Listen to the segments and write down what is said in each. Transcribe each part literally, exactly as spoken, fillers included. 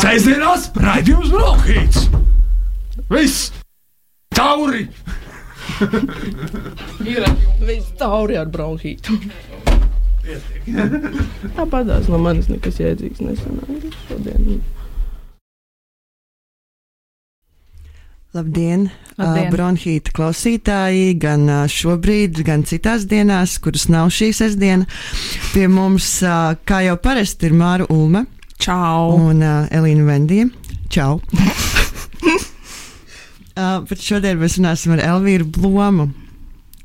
Sēsdienās raidījums Bronhīts. Viss tauri. Viss tauri ar bronhītu. Tāpatās no manis nekas jēdzīgs nesanāk šodien. Labdien, Labdien. Uh, bronhīta klausītāji, gan uh, šobrīd, gan citās dienās, kuras nav šī sestdiena. Pie mums, uh, kā jau parasti, ir Māra Ulme. Čau. Un uh, Elīna Vendija. Čau. uh, bet šodien mēs runāsim ar Elvīru Blomu.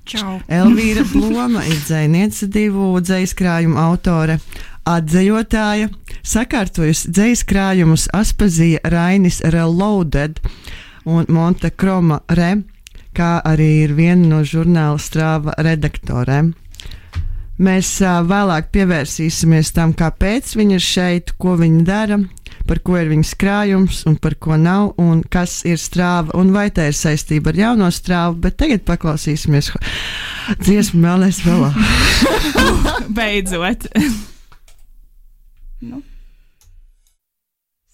Čau. Elvīra Bloma ir dzejniece, divu dzejaskrājumu autore, atdzejotāja, sakārtojusi dzejaskrājumus Aspazija Rainis Reloaded un Monte Kroma Re, kā arī ir viena no žurnāla Strāva redaktorēm. Mēs uh, vēlāk pievērsīsimies tam, kāpēc viņa ir šeit, ko viņa dara, par ko ir viņas krājums un par ko nav, un kas ir Strāva, un vai tā ir saistība ar jauno Strāvu, bet tagad paklausīsimies dziesmu Melnais Velā. Beidzot. Nu.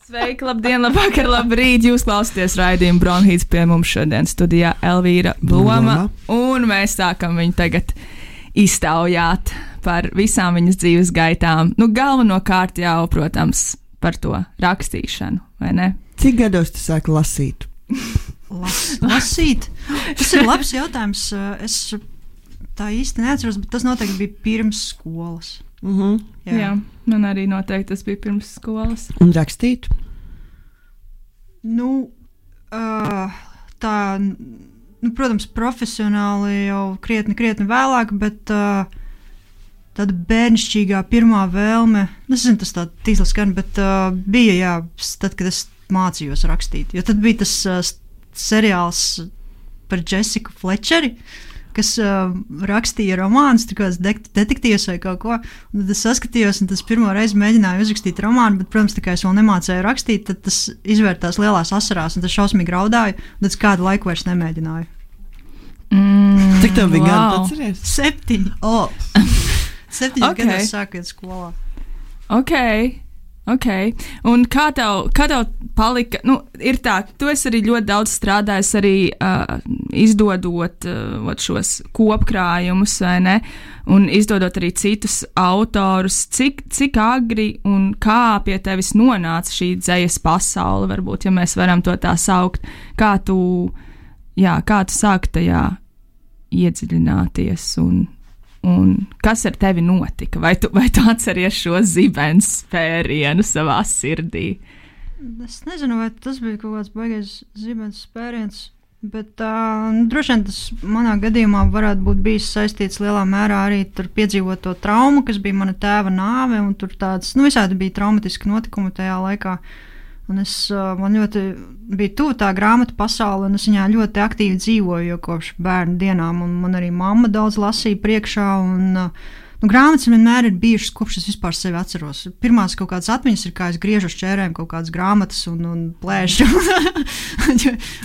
Sveiki, labdien, labvakar, labrīt! Jūs klausāties raidījumu Bronhīts, pie mums šodien studijā Elvīra Bloma, un mēs sākam viņu tagad iztaujāt par visām viņas dzīves gaitām. Nu, galvenokārt jau, protams, par to rakstīšanu, vai ne? Cik gados tu sāki lasīt? Las, lasīt? Tas ir labs jautājums. Es tā īsti neatceros, bet tas noteikti bija pirms skolas. Mhm. Jā. Jā, man arī noteikti tas bija pirms skolas. Un rakstīt? Nu, uh, tā, nu, protams, profesionāli jau krietni, krietni vēlāk, bet uh, tāda bērnišķīgā pirmā vēlme, nezinu, tas tā tīsli skan, bet uh, bija, jā, tad, kad es mācījos rakstīt, jo tad bija tas uh, seriāls par Jessiku Flečeri, kas uh, rakstīja romānus, tur kāds de detektīvs vai kaut ko, un tad es saskatījos, un tas pirmo reizi mēģināju uzrakstīt romānu, bet, protams, tā kā es vēl nemācēju rakstīt, tad tas izvērtās lielās asarās, un tas šausmīgi raudāju, un tad kādu laiku vairs nemēģināju. Mm, Cik tev bija wow. gadu, atceries? Septiņi. Oh. Septiņi Okay. gados sākot skolā. Ok, ok. Un kā tev, kā tev palika, nu, ir tā, tu esi arī ļoti daudz strādājis arī uh, izdodot uh, šos kopkrājumus, vai ne, un izdodot arī citus autorus. Cik, cik agri un kā pie tevis nonāca šī dzejas pasaule, varbūt, ja mēs varam to tā saukt, kā tu, jā, kā tu sāki tajā iedziļināties un Un kas ar tevi notika? Vai tu, vai tu atceries šo zibens spērienu savā sirdī? Es nezinu, vai tas bija kaut kāds baigais zibens spēriens, bet uh, droši vien tas manā gadījumā varētu būt bijis saistīts lielā mērā arī ar piedzīvoto traumu, kas bija mana tēva nāve, un tur tāds, nu, visādi bija traumatiski notikumi tajā laikā. Un es, uh, man ļoti bija tuvu tā grāmatu pasaule, un es viņā ļoti aktīvi dzīvoju, jo kopš bērnu dienām, un man arī mamma daudz lasīja priekšā, un uh, nu, grāmatas vienmēr ir bijušas, kopš es vispār sevi atceros. Pirmās kaut kādas atmiņas ir, kā es griežu uz čērēm kaut kādas grāmatas un, un plēšu.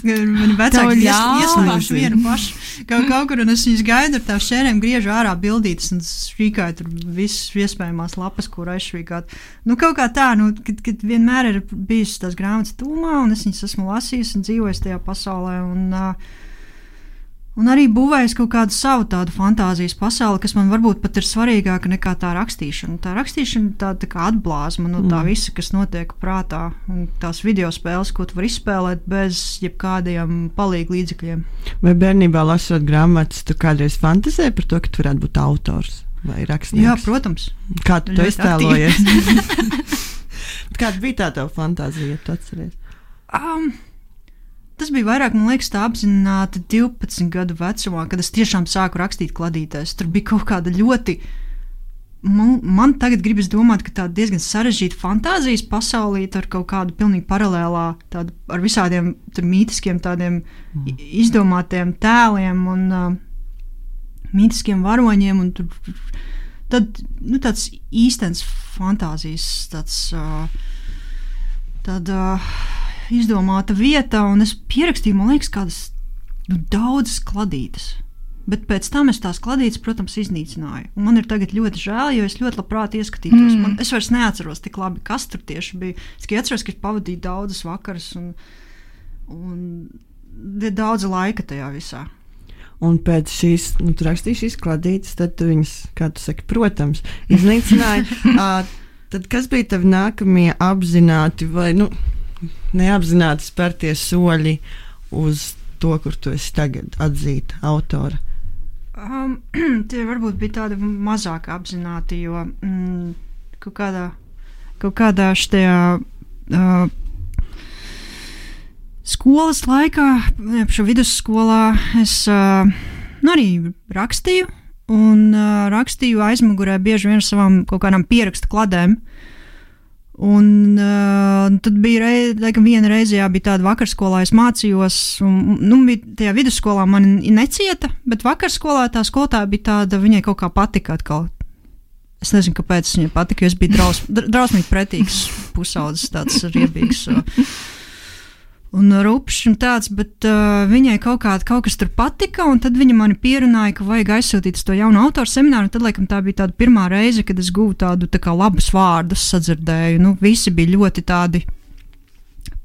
Mani vecāki ieslēguši vienu pašu kaut, kaut kur, un es viņus gaidu ar tām čērēm, griežu ārā bildītas, un švīkāju tur visas iespējamās lapas, kur aizšvīkāt. Nu, kaut kā tā, nu, kad, kad vienmēr ir bijušas tās grāmatas tūmā, un es viņas esmu lasījis un dzīvojis tajā pasaulē, un uh, Un arī būvējis kaut kādu savu tādu fantāzijas pasauli, kas man varbūt pat ir svarīgāka nekā tā rakstīšana. Tā rakstīšana tā, tā kā atblāzma no tā visa, kas notiek prātā, un tās video spēles, ko tu vari izspēlēt bez jebkādiem palīgu līdzekļiem. Vai bērnībā lasot grāmatas, tu kādreiz fantazēji par to, ka tu varētu būt autors vai rakstnieks? Jā, protams. Kā tu to iztēlojies? Kāda bija tā tava fantāzija, ja tu atceries? Um, Tas bija vairāk, man liekas, tā apzināti divpadsmit gadu vecumā, kad es tiešām sāku rakstīt kladītēs. Tur bija kaut kāda ļoti, man, man tagad gribas domāt, ka tāda diezgan sarežģīta fantāzijas pasaulīte ar kaut kādu pilnīgi paralēlā, tādu, ar visādiem tur mītiskiem tādiem mm. izdomātiem tēliem un uh, mītiskiem varoņiem, un tur tad, nu, tāds īstens fantāzijas, tāds, uh, tāda, uh, izdomāta vieta, un es pierakstīju, man liekas, kādas nu, daudzas kladītes. Bet pēc tam es tās kladītes, protams, iznīcināju. Un man ir tagad ļoti žēl, jo es ļoti labprāt ieskatītos. Mm. Man, es vairs neatceros tik labi, kas tur tieši bija. Es tikai atceros, ka es pavadīju daudzas vakaras un, un ir daudz laika tajā visā. Un pēc šīs, nu, tu rakstīji šīs kladītes, tad tu viņas, kā tu saki, protams, iznīcināji. uh, tad kas bija tavi nākamie apzināti vai, nu, neapzināti spērtie soļi uz to, kur tu esi tagad atzīta autora? Um, tie varbūt bija tādi mazāk apzināti, jo mm, kaut kādā, kaut kādā štajā uh, skolas laikā, šo vidusskolā, es uh, nu, arī rakstīju, un uh, rakstīju aizmugurē bieži vien ar savām kaut kādām pierakstu kladēm. Un uh, tad bija rei, laikam, viena reize, jā, bija tāda vakarskolā, es mācījos, un, nu, bija tajā vidusskolā mani necieta, bet vakarskolā tā skolotāja bija tāda, viņai kaut kā patika atkal. Es nezinu, kāpēc viņai patika, jo es biju draus, drausmīgi pretīgs pusaudzis, tāds riebīgs un rupšs un tāds, bet uh, viņai kaut, kā, kaut kas tur patika, un tad viņa mani pierunāja, ka vajag aizsūtīt uz to jaunu autoru semināru, un tad, laikam, tā bija tāda pirmā reize, kad es guvu tādu tā kā labus vārdus, sadzirdēju. Nu, visi bija ļoti tādi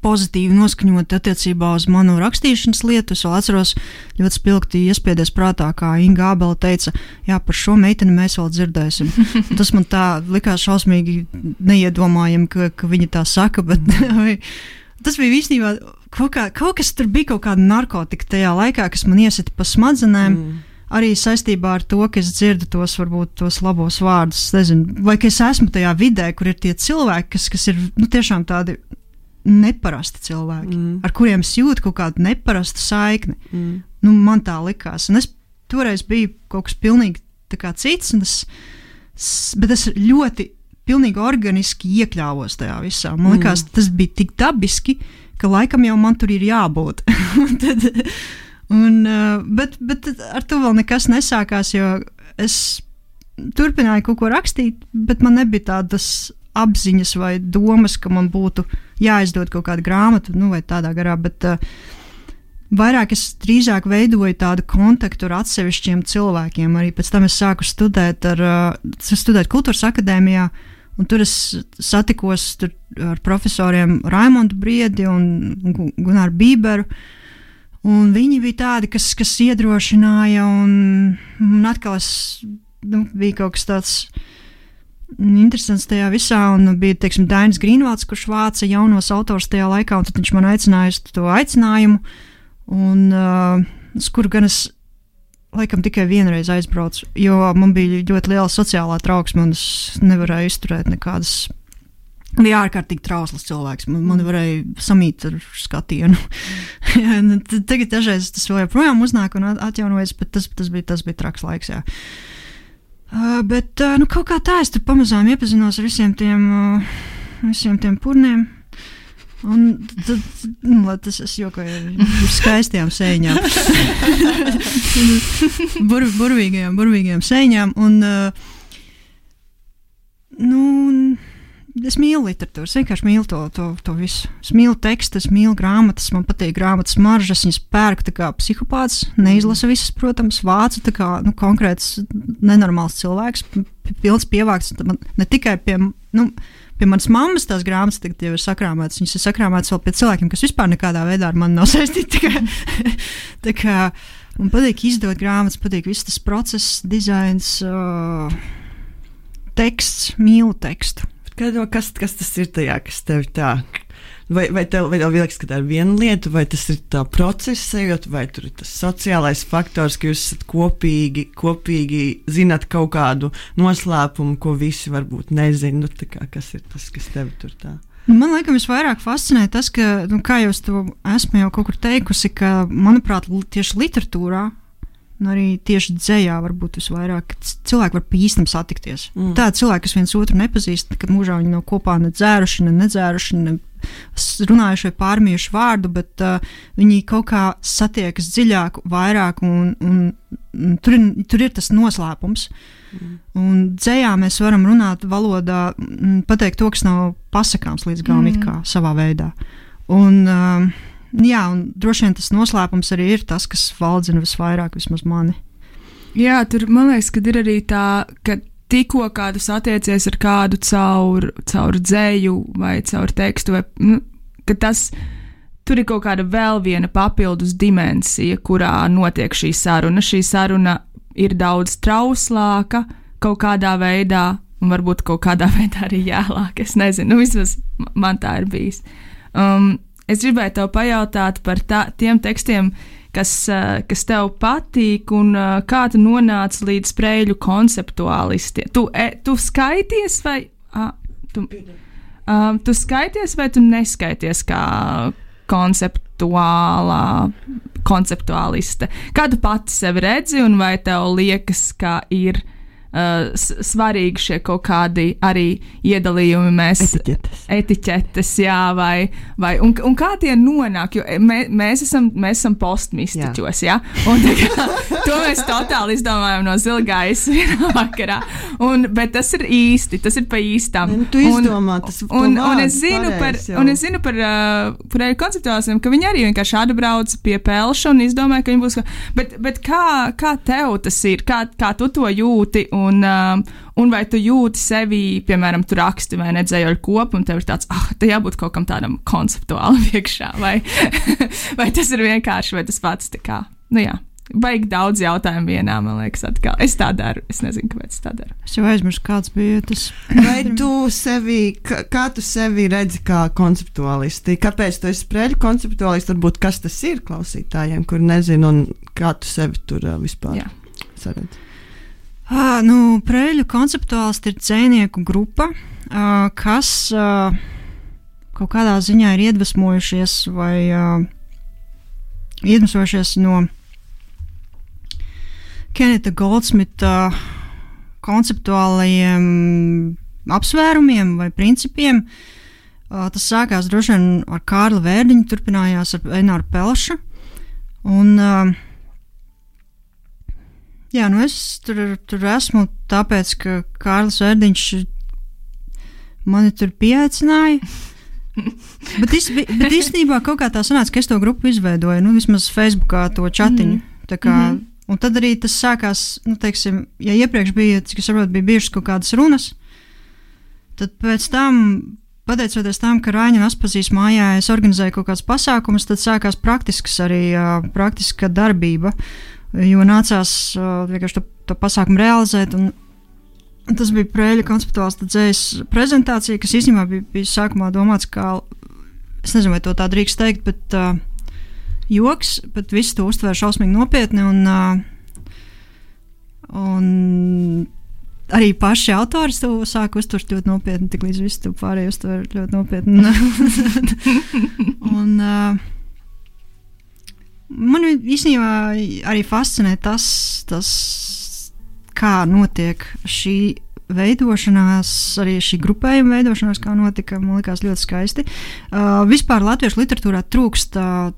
pozitīvi noskaņoti attiecībā uz manu rakstīšanas lietu. Es vēl atceros ļoti spilgti iespiedies prātā, kā Inga Ābele teica, jā, par šo meiteni mēs vēl dzirdēsim. Un tas man tā likās šausmīgi neiedomājami, ka, ka viņa tā saka, bet tas bija īstenībā kaut, kā, kaut kas tur bija, kaut kāda narkotika tajā laikā, kas man iesita pa smadzenēm, mm. arī saistībā ar to, ka es dzirdu tos, varbūt, tos labos vārdus, nezinu, vai ka es esmu tajā vidē, kur ir tie cilvēki, kas, kas ir, nu, tiešām tādi neparasti cilvēki, mm. ar kuriem es jūtu kaut kādu neparastu saikni. Mm. Nu, man tā likās. Un es toreiz biju kaut kas pilnīgi tā kā cits, un es, bet es ļoti pilnīgi organiski iekļāvos tajā visā. Man liekas, mm. tas bija tik dabiski, ka laikam jau man tur ir jābūt. Tad, un, bet, bet ar to vēl nekas nesākās, jo es turpināju kaut ko rakstīt, bet man nebija tādas apziņas vai domas, ka man būtu jāizdod kaut kāda grāmata, nu vai tādā garā, bet uh, vairāk es drīzāk veidoju tādu kontaktu ar atsevišķiem cilvēkiem. Arī pēc tam es sāku studēt, ar, uh, studēt Kultūras akadēmijā, un tur es satikos tur ar profesoriem Raimondu Briedi un Gunāru Bīberu, un viņi bija tādi, kas, kas iedrošināja, un, un atkal es, nu, bija kaut kas tāds interesants tajā visā, un bija, teiksim, Dainis Grīnvalds, kurš vāca jaunos autors tajā laikā, un tad viņš man aicināja uz to aicinājumu, un uh, uz kuru gan es laikam tikai vienreiz aizbraucu, jo man bija ļoti liela sociālā trauksme, un es nevarēju izturēt nekādas, bija ārkārtīgi trausls cilvēks, man, man varēja samīt ar skatienu. Tagad dažreiz tas vēl joprojām uznāk un atjaunojas, bet tas, tas, bija, tas bija traks laiks, jā. Uh, bet uh, nu, kaut kā tā es tur pamazām iepazinos ar visiem tiem, uh, visiem tiem purniem. Un tad, nu, tas es jokoju ar skaistajām sēņām. Bur, burvīgajām, burvīgajām sēņām. Un, uh, nu, es mīlu literatūru, es vienkārši mīlu to, to, to visu. Es mīlu tekstus, es mīlu grāmatas, man patīk grāmatas maržas, viņas pērku tā kā psihopāts, neizlasa visas, protams, vācu tā kā, nu, konkrēts nenormāls cilvēks, pilns pievākts, ne tikai pie, nu, pie manas mammas tās grāmatas tagad jau ir sakrāmētas, viņas ir sakrāmētas vēl pie cilvēkiem, kas vispār nekādā veidā ar mani nav saistīti, tā kā, tā kā man patīk izdot grāmatas, patīk viss tas process, dizains, uh, teksts, mīlu tekstu. Kas, kas tas ir tajā, kas tev tā? Vai, vai tev, vai tev liekas, ka tā ir viena lieta, vai tas ir tā procesa, vai tur ir tas sociālais faktors, ka jūs esat kopīgi, kopīgi zināt kaut kādu noslēpumu, ko visi varbūt nezina. Nu, tā kā, kas ir tas, kas tev tur tā? Man liekas, visvairāk fascinē tas, ka, nu, kā jau es to esmu jau kaut kur teikusi, ka, manuprāt, tieši literatūrā, un arī tieši dzējā varbūt visvairāk cilvēki var pa īstam satikties. Mm. Tādi cilvēki, kas viens otru nepazīst, kad mūžā viņi nav kopā ne dzēruši, ne nedzēruši, ne runājuši vai pārmījuši vārdu, bet uh, viņi kaut kā satiekas dziļāk, vairāk, un, un, un tur, ir, tur ir tas noslēpums. Mm. Un dzējā mēs varam runāt valodā, pateikt to, kas nav pasakāms līdz galam mm. it kā savā veidā. Un uh, jā, un droši vien tas noslēpums arī ir tas, kas valdzina visvairāk vismaz mani. Jā, tur man liekas, ka ir arī tā, ka tikko kādu satiecies ar kādu caur, caur dzēju vai caur tekstu, vai, nu, ka tas, tur ir kaut kāda vēl viena papildus dimensija, kurā notiek šī saruna. Šī saruna ir daudz trauslāka kaut kādā veidā, un varbūt kaut kādā veidā arī jālāk. Es nezinu, nu vismaz man tā ir bijis. Um, es gribēju tev pajautāt par tā, tiem tekstiem, kas, uh, kas tev patīk, un uh, kā tu nonāci līdz Preļu konceptuālistiem. Tu, e, tu skaities vai... Uh, tu, uh, tu skaities vai tu neskaities kā konceptuālā, konceptuāliste? Kā tu pati sevi redzi, un vai tev liekas, ka ir uh, svarīgi šie kaut kādi arī iedalījumi, mēs etiķetes, etiķetes jā, vai, vai un, un kā tie nonāk, jo mē, mēs esam, mēs esam postmistiķos, jā, jā? Un tā kā, to mēs totāli izdomājam no zilgājas vienā vakarā, un, bet tas ir īsti, tas ir pa īstam. Un tu izdomā, tas un, un, un es zinu par, un es zinu par, uh, par konceptuālistiem, ka viņi arī vienkārši atbrauc pie pelša un izdomāja, ka viņi būs, bet, bet kā, kā tev tas ir, kā, kā tu to jūti, un, um, un vai tu jūti sevi, piemēram, tu raksti vai nedzējoļu kopu, un tev ir tāds, ah, te jābūt kaut kam tādam konceptuālam iekšā, vai, vai tas ir vienkārši, vai tas pats tā kā, nu jā. Baigi daudz jautājumu vienā, man liekas, atkal. Es tā daru, es nezinu, kāpēc es tā daru. Es jau aizmirsu, kāds bija tas. Vai tu sevi, kā, kā tu sevi redzi kā konceptuālisti? Kāpēc tu esi Preļu konceptuālisti? Varbūt kas tas ir klausītājiem, kur nezinu, un kā tu sevi tur uh, vispār Jā. saredzi? Ah, nu, Preļu konceptuālisti ir dzejnieku grupa, uh, kas uh, kaut kādā ziņā ir iedvesmojušies vai uh, iedvesmojušies no Keneta Goldsmita konceptuālajiem apsvērumiem vai principiem. Uh, tas sākās droši vien ar Kārli Vērdiņu, turpinājās ar Eināru Pelšu. Un, uh, jā, nu es tur, tur esmu tāpēc, ka Kārlis Vērdiņš mani tur pieaicināja. bet, is, bet īstenībā kaut kā tā sanāca, ka es to grupu izveidoju, nu vismaz Facebookā to čatiņu. Mm. Tā kā, mm-hmm. Un tad arī tas sākās, nu, teiksim, ja iepriekš bija, cik es saprotu, bija bijušas kaut kādas runas, tad pēc tam, pateicoties tam, ka Raiņa Aspazīs mājā es organizēju kaut kādas pasākumus, tad sākās praktisks arī, uh, praktiska darbība, jo nācās uh, vienkārši to, to pasākumu realizēt, un, un tas bija Preļu konceptuālista dzējas prezentācija, kas īstenībā bija, bija sākumā domāts kā, es nezinu, vai to tā drīkst teikt, bet uh, joks, bet visi to uztvēra šausmīgi nopietni, un, uh, un arī paši autori to sāka uztvert ļoti nopietni, tik līdz visi to pārējo uztver ļoti nopietni. un uh, man īstenībā arī fascinē tas, tas, kā notiek šī veidošanās, arī šī grupējuma veidošanās, kā notika, man likās ļoti skaisti. Uh, vispār latviešu literatūrā trūkst uh,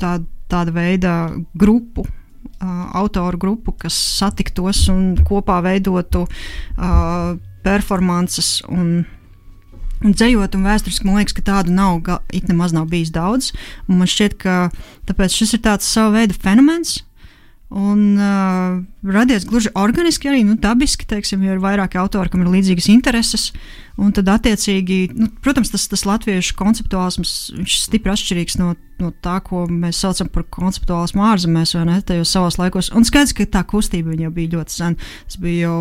tā, tāda veida grupu, uh, autoru grupu, kas satiktos un kopā veidotu uh, performances un, un dzejot un vēsturiski. Man liekas, ka tādu nav, it nemaz nav bijis daudz. Un man šķiet, ka tāpēc šis ir tāds sava veida fenomens, un uh, radies gluži organiski arī, nu, dabiski, teiksim, jo ir vairāki autori, kam ir līdzīgas intereses, un tad attiecīgi, nu, protams, tas, tas latviešu konceptuālisms, viņš stipri atšķirīgs no, no tā, ko mēs saucam par konceptuālismu ārzemēs, vai ne, tajos savos laikos, un skaidrs, ka tā kustība viņa jau bija ļoti sen, tas bija jau,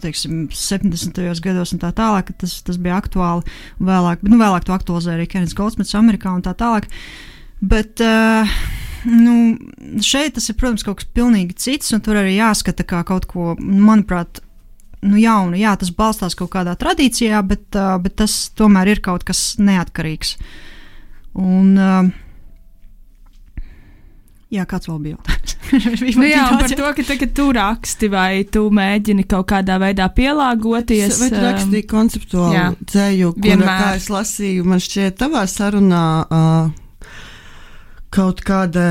teiksim, septiņdesmitajos gados un tā tālāk, ka tas, tas bija aktuāli, un vēlāk, nu, vēlāk to aktualizēja arī Kenets Goldsmits Amerikā un tā tālāk, bet, uh, nu, šeit tas ir, protams, kaut kas pilnīgi cits, un tur arī jāskata kā kaut ko, manuprāt, nu jaunu. Jā, tas balstās kaut kādā tradīcijā, bet, uh, bet tas tomēr ir kaut kas neatkarīgs. Un, uh, jā, kāds vēl bija jautājums? nu jā, un par to, ka tagad tu raksti, vai tu mēģini kaut kādā veidā pielāgoties. Vai tu rakstīji konceptuālu dzēju, kura, kā es lasīju, man šķiet tavā sarunā, uh, kaut kāda,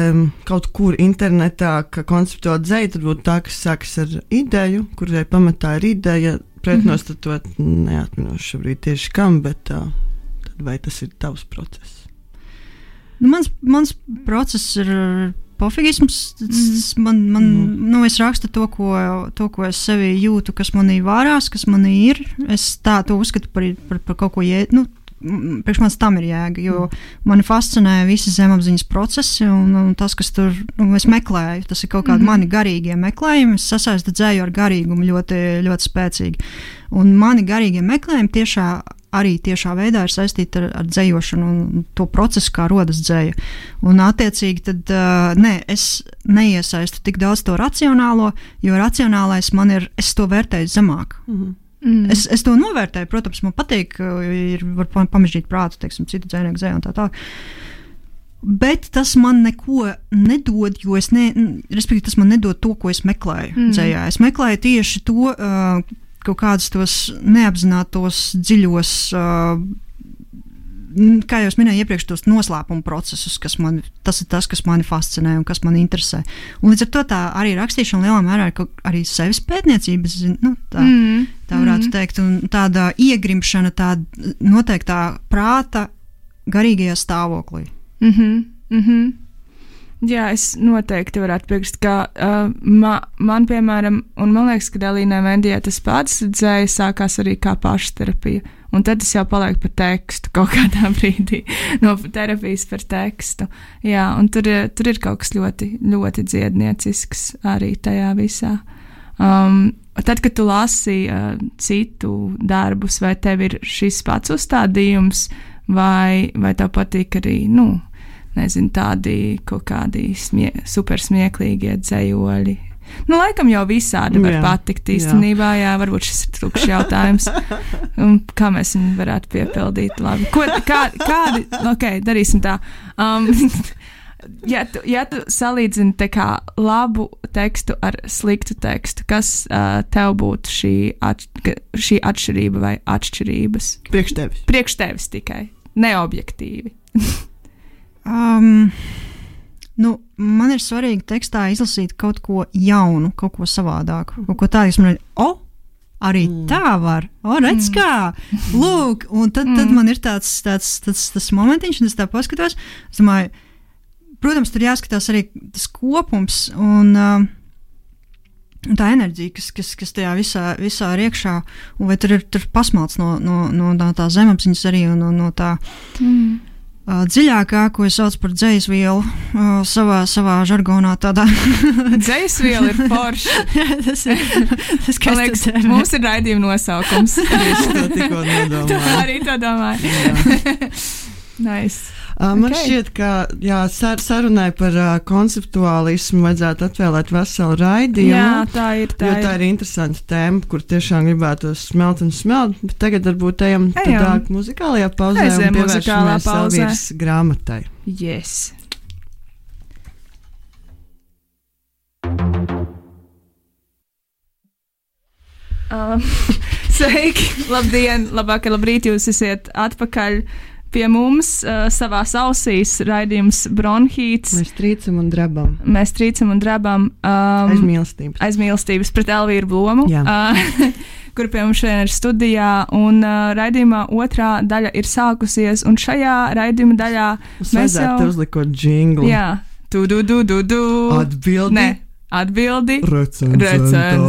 kaut kur internetā, ka konceptuāli dzēja, tad būtu tā, kas sākas ar ideju, kurai pamatā ir ideja, pretnostatot, mm-hmm. neatminošu šobrīd tieši kam, bet uh, tad vai tas ir tavs process? Nu, mans, mans process ir pofigisms. Mm. Man, man, mm. nu, es rakstu to ko, to, ko es sevī jūtu, kas manī vārās, kas manī ir. Es tā to uzskatu par, par, par kaut ko jēt. Nu, priekš manis tam ir jēga, jo mani fascinē visi zemapziņas procesi un, un tas, kas tur, nu, es meklēju, tas ir kaut kādi mm-hmm. mani garīgie meklējumi, es sasaistu dzēju ar garīgumu ļoti, ļoti spēcīgi. Un mani garīgie meklējumi tiešā, arī tiešā veidā ir saistīti ar, ar dzējošanu un to procesu, kā rodas dzēja. Un attiecīgi tad, uh, nē, es neiesaistu tik daudz to racionālo, jo racionālais man ir, es to vērtēju zemāk. Mm-hmm. Mm. Es, es to novērtēju, protams, man patīk, ir var pamežģīt prātu, teiksim, citu dzēnieku dzēju un tā tā. Bet tas man neko nedod, jo es ne, respektīvi, tas man nedod to, ko es meklēju mm. dzējā. Es meklēju tieši to, uh, kaut kādus tos neapzinātos dziļos, uh, kā jau es minēju iepriekš, tos noslēpumu procesus, kas man, tas ir tas, kas mani fascinē un kas mani interesē. Un līdz ar to tā arī rakstīšana lielā mērā ir arī sevis pētniecības, nu, tā, mm. tā varētu mm. teikt, un tāda iegrimšana, tāda noteiktā prāta garīgajā stāvoklī. Mhm, mhm. Jā, es noteikti varētu piekrist, ka uh, ma, man, piemēram, un man liekas, ka Elīnai Vendijai tas pats dzēja sākās arī kā pašterapija, un tad tas jau paliek par tekstu kaut kādā brīdī, no terapijas par tekstu. Jā, un tur, tur ir kaut kas ļoti, ļoti dziedniecisks arī tajā visā. Um, tad, kad tu lasi uh, citu darbus, vai tev ir šis pats uzstādījums, vai, vai tev patīk arī, nu, nezinu, tādi kaut kādi smie, super smieklīgie dzējoļi. Nu, laikam jau visādi var jā, patikt īstenībā, jā. jā, varbūt šis ir tukšs jautājums. Un kā mēs viņu varētu piepildīt labi? Ko, kā, kādi, ok, darīsim tā. Um, ja, tu, ja tu salīdzini te kā labu tekstu ar sliktu tekstu, kas uh, tev būtu šī, at, šī atšķirība vai atšķirības? Priekš tevis. Priekš tevis tikai, neobjektīvi. um... Nu, man ir svarīgi tekstā izlasīt kaut ko jaunu, kaut ko savādāku, kaut ko tādu, kas man ir, o, arī mm. tā var, o, redz kā, lūk, un tad, tad mm. man ir tāds, tāds, tāds, tas momentiņš, un es tā paskatos, es domāju, protams, tur jāskatās arī tas kopums, un uh, tā enerģija, kas, kas, kas tajā visā, visā ir iekšā, un vai tur ir tur pasmalts no, no, no, no tā zemapziņas arī, un no, no tā... Mm. Uh, dziļākā, ko es saucu par dzejasvielu, uh, savā, savā žargonā tādā. Dzejasviela ir forša. tas ir, tas, kas liekas, mums ir raidījuma nosaukums. Tieši to tikko nedomāju. Tā arī to domāju. Nice. Uh, man okay. šķiet, ka jā, sar, sarunai par uh, konceptuālismu vajadzētu atvēlēt veselu raidījumu. Jā, tā ir. Tā jo ir. tā ir interesanta tēma, kur tiešām gribētu smelt un smelt. Bet tagad varbūt ejam tādā muzikālajā pauzē Aiziem un pievēršamies Elvīras grāmatai. Yes. Um, sveiki, labdien, labvakar, labrīt, jūs esat atpakaļ pie mums, uh, savās ausīs, raidījums Bronhīts. Mēs trīcam un drabam. Mēs trīcam un drabam. Um, aizmīlestības. Aizmīlestības pret Elvīru Blomu, uh, kur pie mums šodien ir studijā. Un uh, raidījumā otrā daļa ir sākusies, un šajā raidījuma daļā Mums mēs jau... te uzlikot džinglu. Jā. Tu, du, du, du, du. Atbildi. Ne, atbildi. Recenzentā.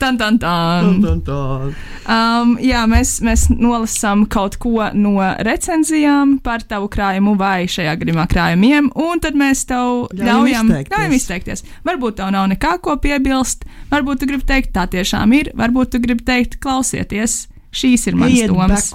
Tan, tan, tan. Tan, tan, tan. Um, jā, mēs, mēs nolasām kaut ko no recenzijām par tavu krājumu vai šajā gadījumā krājumiem, un tad mēs tev ļaujam izteikties. izteikties. Varbūt tev nav nekā ko piebilst, varbūt tu gribi teikt, tā tiešām ir, varbūt tu gribi teikt, klausieties, šīs ir manas domas.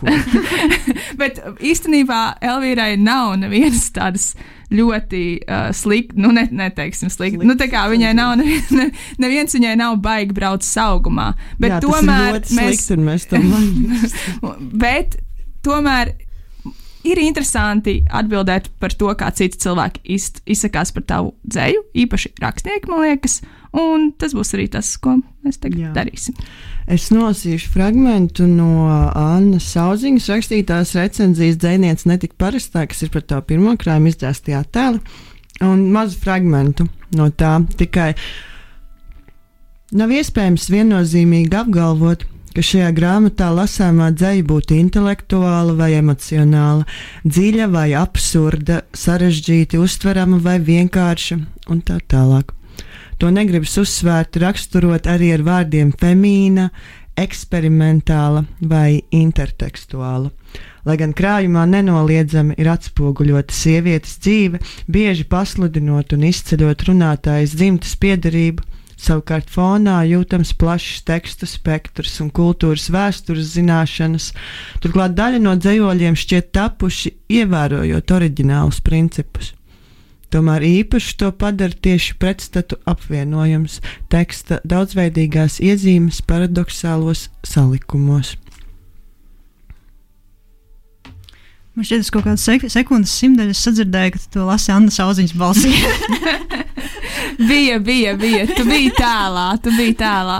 Bet īstenībā Elvīrai nav nevienas tādas ļoti uh, slikti, nu, ne, neteiksim slikti. Slikt, nu, tā kā viņai nav, neviens, ne, neviens viņai nav baigi brauc saugumā. Bet jā, tomēr tas ir ļoti mēs, slikti, un mēs tam varam. Bet tomēr ir interesanti atbildēt par to, kā citi cilvēki iz, izsakās par tavu dzēju, īpaši rakstnieki, man liekas, un tas būs arī tas, ko mēs tagad jā. darīsim. Es nolasīšu fragmentu no Annas Sauziņas rakstītās recenzijas Dzejniece netika parastā, kas ir par tā pirmo krājumu izdzēstajā tēli, un mazu fragmentu no tā tikai. Nav iespējams viennozīmīgi apgalvot, ka šajā grāmatā lasāmā dzeja būtu intelektuāla vai emocionāla, dziļa vai absurda, sarežģīti uztverama vai vienkārša un tā tālāk. To negribas uzsvērt, raksturot arī ar vārdiem femīna, eksperimentāla vai intertekstuāla. Lai gan krājumā nenoliedzami ir atspoguļota sievietes dzīve, bieži pasludinot un izceļot runātājas dzimtes piederību, savukārt fonā jūtams plašs tekstu spektrs un kultūras vēstures zināšanas, turklāt daļa no dzejoļiem šķiet tapuši ievērojot oriģinālus principus. Tomēr īpaši to padara tieši pretstatu apvienojums teksta daudzveidīgās iezīmes paradoxālos salikumos. Man šķiet, ka kaut kādas sek sekundes simtdaļas sadzirdēju, ka tu to lasi Annas Auziņas balsī. bija, bija, bija. Tu biji tēlā, tu biji tēlā.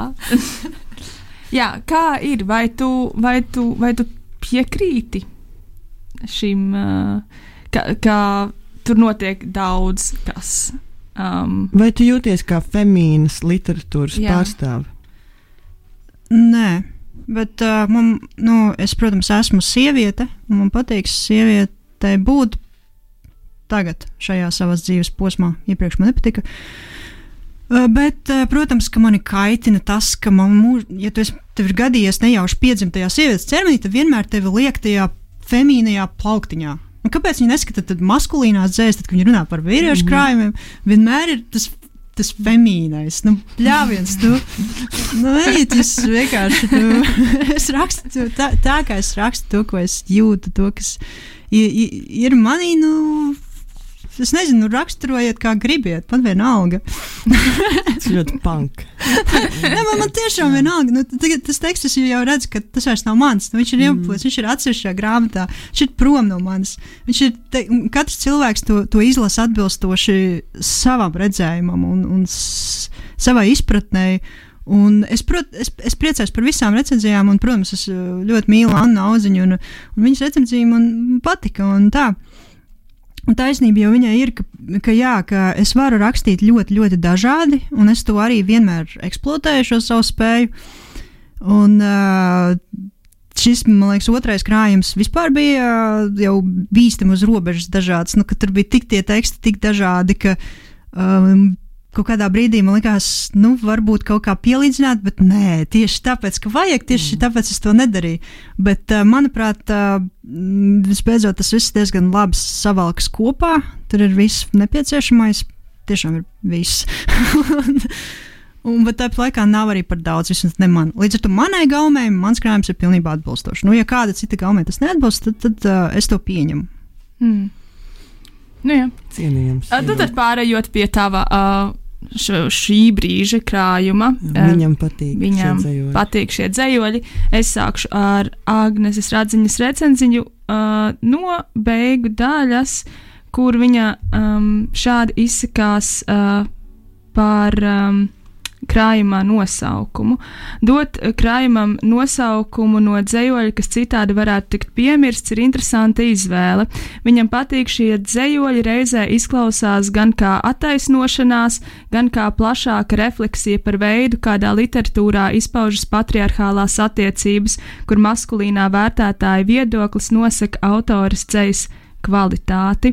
Jā, kā ir? Vai tu, vai tu, vai tu piekrīti šim, uh, ka, ka tur notiek daudz kas? Um, vai tu jūties kā femīnas literatūras jā. Pārstāve? Nē. Bet uh, man, nu, es, protams, esmu sieviete, un man patīk sievietei būt tagad, šajā savas dzīves posmā. Iepriekš man nepatika. Uh, bet, uh, protams, ka mani kaitina tas, ka man mūž, ja tu esi, tev ir gadījies nejauši piedzimt tajā sievietes ķermenī, tad vienmēr tevi liek tajā femīnajā plauktiņā. Un kāpēc viņi neskata tad maskulīnās dzējas, tad, kad viņi runā par vīriešu krājumiem, vienmēr ir tas tas femīnais, nu, pļāviens, tu, nu, ejiet, es vienkārši, tu, es rakstu to, tā, tā, kā es rakstu to, ko es jūtu, to, kas ir, ir manī, nu, es nezinu, raksturojiet, kā gribiet, man vienalga. Tas ļoti punk. Ne, man, man tiešām vienalga, nu, tagad tas teksts, es jau redzu, ka tas vairs nav mans, nu, viņš ir ieplūts, viņš ir atsevišķā grāmatā, viņš ir prom no manis, viņš ir, te, katrs cilvēks to, to izlasa atbilstoši savam redzējumam un, un s, savai izpratnei, un es, prot, es, es priecājos par visām recenzijām, un, protams, es ļoti mīlu Annu Auziņu, un, un viņas recenzija man patika, un tā. Un taisnība jau viņai ir, ka, ka, jā, ka es varu rakstīt ļoti, ļoti dažādi, un es to arī vienmēr eksploatēju šo savu spēju. Un uh, šis, man liekas, otrais krājums vispār bija uh, jau bīstam uz robežas dažāds, nu, ka tur bija tik tie teksti, tik dažādi, ka um, kaut kādā brīdī man likās, nu, varbūt kaut kā pielīdzināt, bet nē, tieši tāpēc, ka vajag, tieši tāpēc es to nedarīju. Bet, uh, manuprāt, uh, visbeidzot, tas viss diezgan labi savalkas kopā, tur ir viss nepieciešamais, tiešām ir viss. un, un, bet tāpat laikā nav arī par daudz, vismaz ne man. Līdz ar to manai gaumei, mans krājums ir pilnībā atbilstošs. Nu, ja kāda cita gaumei tas neatbilst, tad, tad uh, es to pieņemu. Mm. Nu, jā. Cienījams. Uh, tad pārējot pie tava uh, š, šī brīža krājuma. Viņam patīk Viņam šie dzejoļi. patīk šie dzejoļi. Es sākšu ar Agneses Radziņas recenziņu uh, no beigu daļas, kur viņa um, šādi izsakās uh, par um, krājumā nosaukumu. Dot krājumam nosaukumu no dzejoļa, kas citādi varētu tikt piemirsts, ir interesanta izvēle. Viņam patīk šie dzejoļi reizē izklausās gan kā attaisnošanās, gan kā plašāka refleksija par veidu, kādā literatūrā izpaužas patriarchālās attiecības, kur maskulīnā vērtētāja viedoklis nosaka autores dzejas kvalitāti.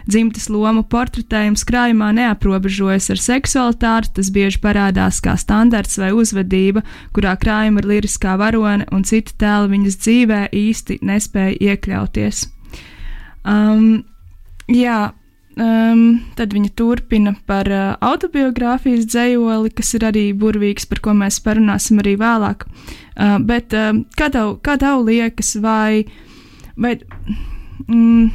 Dzimtes lomu portretējums krājumā neaprobežojas ar seksualitāti, tas bieži parādās kā standarts vai uzvedība, kurā krājuma ir liriskā varone un citi tēli viņas dzīvē īsti nespēja iekļauties. Um, jā, um, tad viņa turpina par uh, autobiogrāfijas dzejoli, kas ir arī burvīgs, par ko mēs parunāsim arī vēlāk. Uh, bet uh, kā tev, kā tev liekas, vai, vai mm,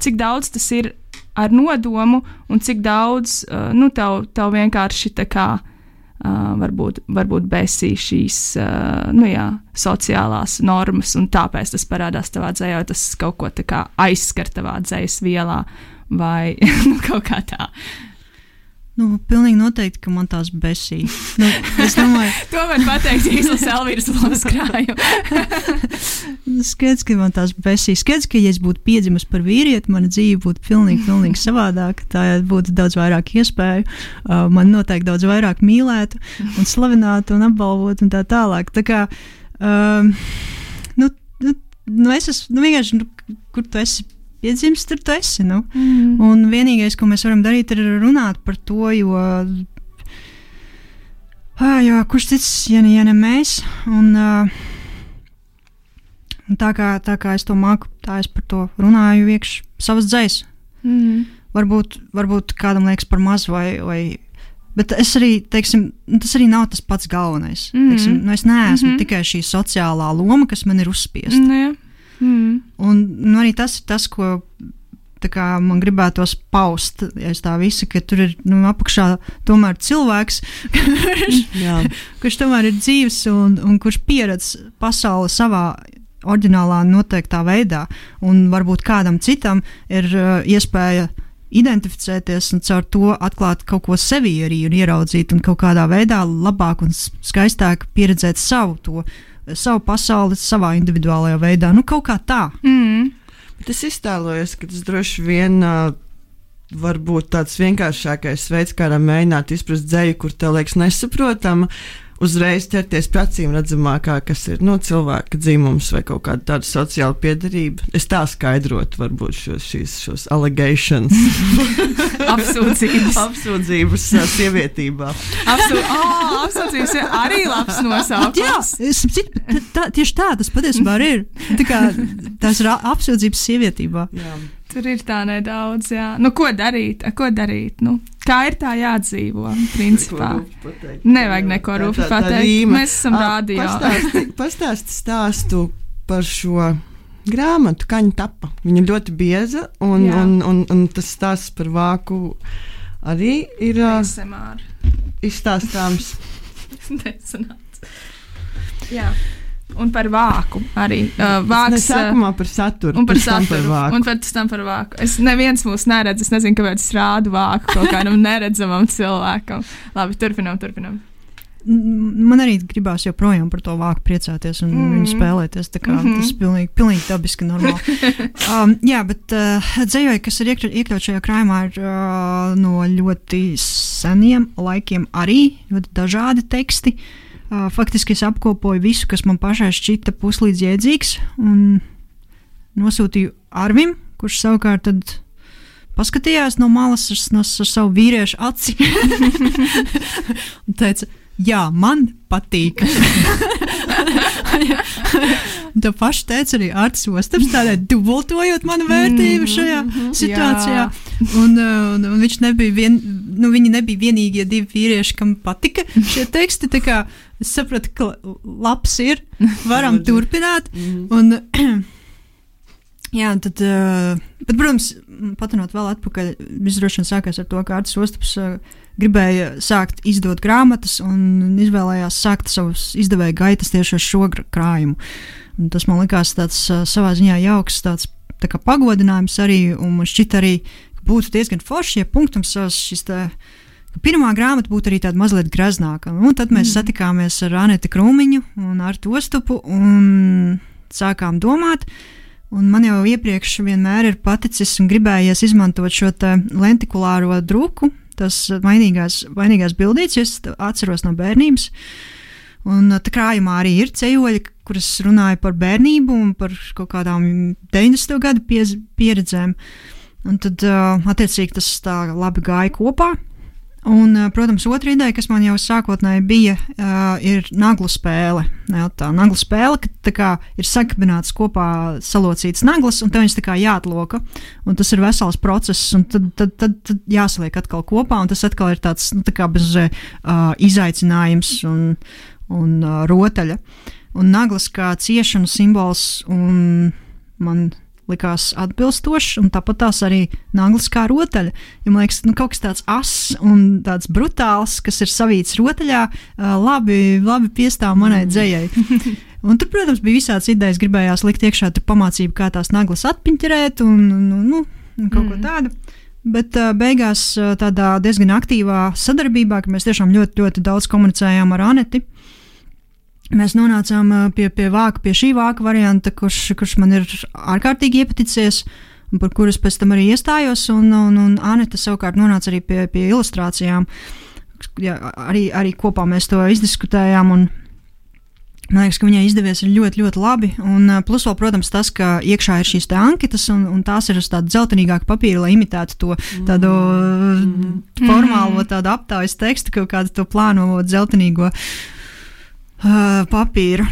cik daudz tas ir ar nodomu un cik daudz, uh, nu, tev, tev vienkārši tā kā uh, varbūt, varbūt besī šīs, uh, nu jā, sociālās normas un tāpēc tas parādās tavā dzējā, tas kaut ko tā kā aizskar tavā dzējas vielā vai nu, kaut kā tā. Nu, pilnīgi noteikti, ka man tās besī. Nu, es domāju, to var pateikt, ja izlasa Elvīras lomas krājumu. Skaidrs, ka man tās besī. Skaidrs, ka ja es būtu piedzimis par vīrieti, mana dzīve būtu pilnīgi, pilnīgi savādāka. Tā būtu daudz vairāk iespēju. Uh, man noteikti daudz vairāk mīlētu un slavinātu un apbalvotu un tā tālāk. Tā kā Um, nu, nu, nu es esmu, nu vienkārši, nu, kur tu esi piedzimis, tur tu esi, nu. Mm. Un vienīgais, ko mēs varam darīt, ir runāt par to, jo, ā, jo kurš cits, ja ne, ja ne mēs, un, uh, un tā, kā, tā kā es to māku, tā es par to runāju iekš savas dzēs. Mm. Varbūt, varbūt kādam liekas par maz vai, vai bet es arī, teiksim, tas arī nav tas pats galvenais. Mm. Teiksim, nu es neesmu mm-hmm. tikai šī sociālā loma, kas man ir uzspiesta. Mm, jā. Mm. Un nu, arī tas ir tas, ko tā kā, man gribētos paust, ja es tā visi, ka tur ir nu, apakšā tomēr cilvēks, kurš, kurš tomēr ir dzīves un, un kurš pieredz pasauli savā oriģinālā noteiktā veidā. Un varbūt kādam citam ir uh, iespēja identificēties un caur to atklāt kaut ko sevī arī un ieraudzīt un kaut kādā veidā labāk un skaistāk pieredzēt savu to, savu pasauli savā individuālajā veidā. Nu, kaut kā tā. Mm. Bet es iztēlojos, ka tas droši vien uh, var būt tāds vienkāršākais veids, kādā mēģināt izprast dzeju, kur tev liekas nesaprotama, uzreiz ķerties pie acīm redzamākā, kas ir no cilvēka dzimums vai kaut kāda tāda sociāla piederība. Es tā skaidrotu varbūt šos, šīs, šos allegations. Apsūdzības. Apsūdzības uh, sievietībā. Apsū... Oh, apsūdzības ir arī labs nosaukums. Jā, es, tā, tā, tieši tā tas patiesībā ir. Tā kā tās ir apsūdzības sievietībā. Jā. Tur ir tā nedaudz, jā. Nu, ko darīt? Ko darīt? Nu, kā ir tā jādzīvo, principā? Nevajag neko rupi pateikt. Mēs esam rādio. Pastāsti, pastāsti stāstu par šo grāmatu, kā viņa tapa. Viņa ļoti bieza, un, un, un, un tas stāsts par vāku arī ir uh, izstāstāms. Nesanāc. Jā. Un par vāku arī. Uh, vāks, sākumā par saturu, un par saturu, par vāku. Un pēc tam par vāku. Es neviens mūs neredz, es nezinu, kāpēc es rādu vāku kaut kādam neredzamam cilvēkam. Labi, turpinām, turpinām. Man arī gribās joprojām par to vāku priecāties un mm. viņu spēlēties. Tā kā mm-hmm. tas ir pilnīgi, pilnīgi dabiski normāli. um, jā, bet uh, dzējoji, kas ir iekļaut, iekļaut šajā krājumā, ir uh, no ļoti seniem laikiem arī ļoti dažādi teksti. Uh, faktiski es apkopoju visu, kas man pašai šķita puslīdz jēdzīgs, un nosūtīju Arvim, kurš savukārt tad paskatījās no malas ar, no, ar savu vīriešu aci un teica, jā, man patīk. Tā paša teica arī Artis Ostaps, tādēļ dubultojot manu vērtību šajā situācijā. Un, un, un viņš nebija, vien, nu, viņi nebija vienīgie divi vīrieši, kam patika šie teksti. Tā kā es sapratu, ka labs ir, varam turpināt. Un, jā, tad, bet, protams, patinot vēl atpakaļ, viss droši vien sākās ar to, ka Artis Ostaps gribēja sākt izdot grāmatas un izvēlējās sākt savus izdevēja gaitas tieši ar šo krājumu. Un tas man likās tāds savā ziņā jauks, tāds tā kā pagodinājums arī, un man šķita arī, ka būtu diezgan forši, ja punktums savas šis tā, ka pirmā grāmata būtu arī tāda mazliet greznāka. Un tad mēs mm. satikāmies ar Aneti Krūmiņu un Artu Ostapu un sākām domāt, un man jau iepriekš vienmēr ir paticis un gribējies izmantot šo te lentikulāro druku, tas vainīgās, vainīgās bildītes, jo es atceros no bērnības. Un tā krājumā arī ir cejoļi, kuras runāja par bērnību un par kaut kādām deviņdesmito gadu piez, pieredzēm. Un tad, attiecīgi, tas tā labi gāja kopā. Un, protams, otra ideja, kas man jau sākotnēji bija, ir naglu spēle. Jā, tā naglu spēle, ka tā kā ir sakabināts kopā salocīts naglas, un te viņas tā kā jāatloka. Un tas ir vesels process, un tad, tad, tad, tad jāsaliek atkal kopā, un tas atkal ir tāds, nu, tā kā bez uh, izaicinājums un, un uh, rotaļa. Un naglas kā ciešanu simbols, un man likās atbilstošs, un tāpat tās arī naglas kā rotaļa. Ja man liekas, nu, kaut kas tāds ass un tāds brutāls, kas ir savīts rotaļā, uh, labi, labi piestāv manai dzējai. Un tur, protams, bija visāds idejas, gribējās likt iekšā tur pamācību, kā tās naglas atpiņķerēt un, un, nu, un kaut mm. ko tādu. Bet uh, beigās uh, tādā diezgan aktīvā sadarbībā, ka mēs tiešām ļoti, ļoti daudz komunicējām ar Aneti, mēs nonācām pie, pie vāka, pie šī vāka varianta, kurš, kurš man ir ārkārtīgi iepaticies, un par kuras pēc tam arī iestājos, un, un, un Aneta savukārt nonāca arī pie, pie ilustrācijām. Jā, arī, arī kopā mēs to izdiskutējām, un Man liekas, ka viņai izdevies ļoti, ļoti labi. Un, plus, vēl, protams, tas, ka iekšā ir šīs anketas, un, un tās ir uz tādu dzeltenīgāku papīru, lai imitētu to tādu mm. formālo tādu aptājas tekstu, kaut kādu to plāno dzeltenīgo uh, papīru.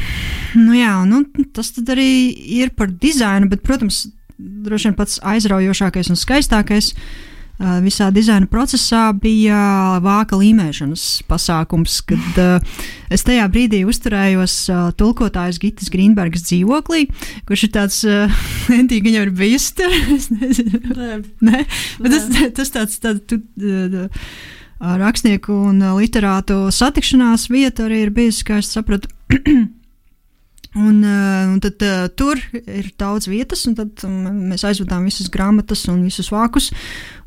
Nu jā, nu, tas tad arī ir par dizainu, bet, protams, droši vien pats aizraujošākais un skaistākais visā dizaina procesā bija vāka līmēšanas pasākums, kad uh, es tajā brīdī uzturējos uh, tulkotājas Gitas Grīnbergas dzīvoklī, kurš ir tāds, uh, entīgi viņam ir bijusi tur, es nezinu, ne, bet tas, tas tāds, tāds tu, uh, rakstnieku un literātu satikšanās vieta arī ir bijusi, kā es sapratu. Un, un tad uh, tur ir daudz vietas, un tad um, mēs aizvedām visas grāmatas un visus vākus,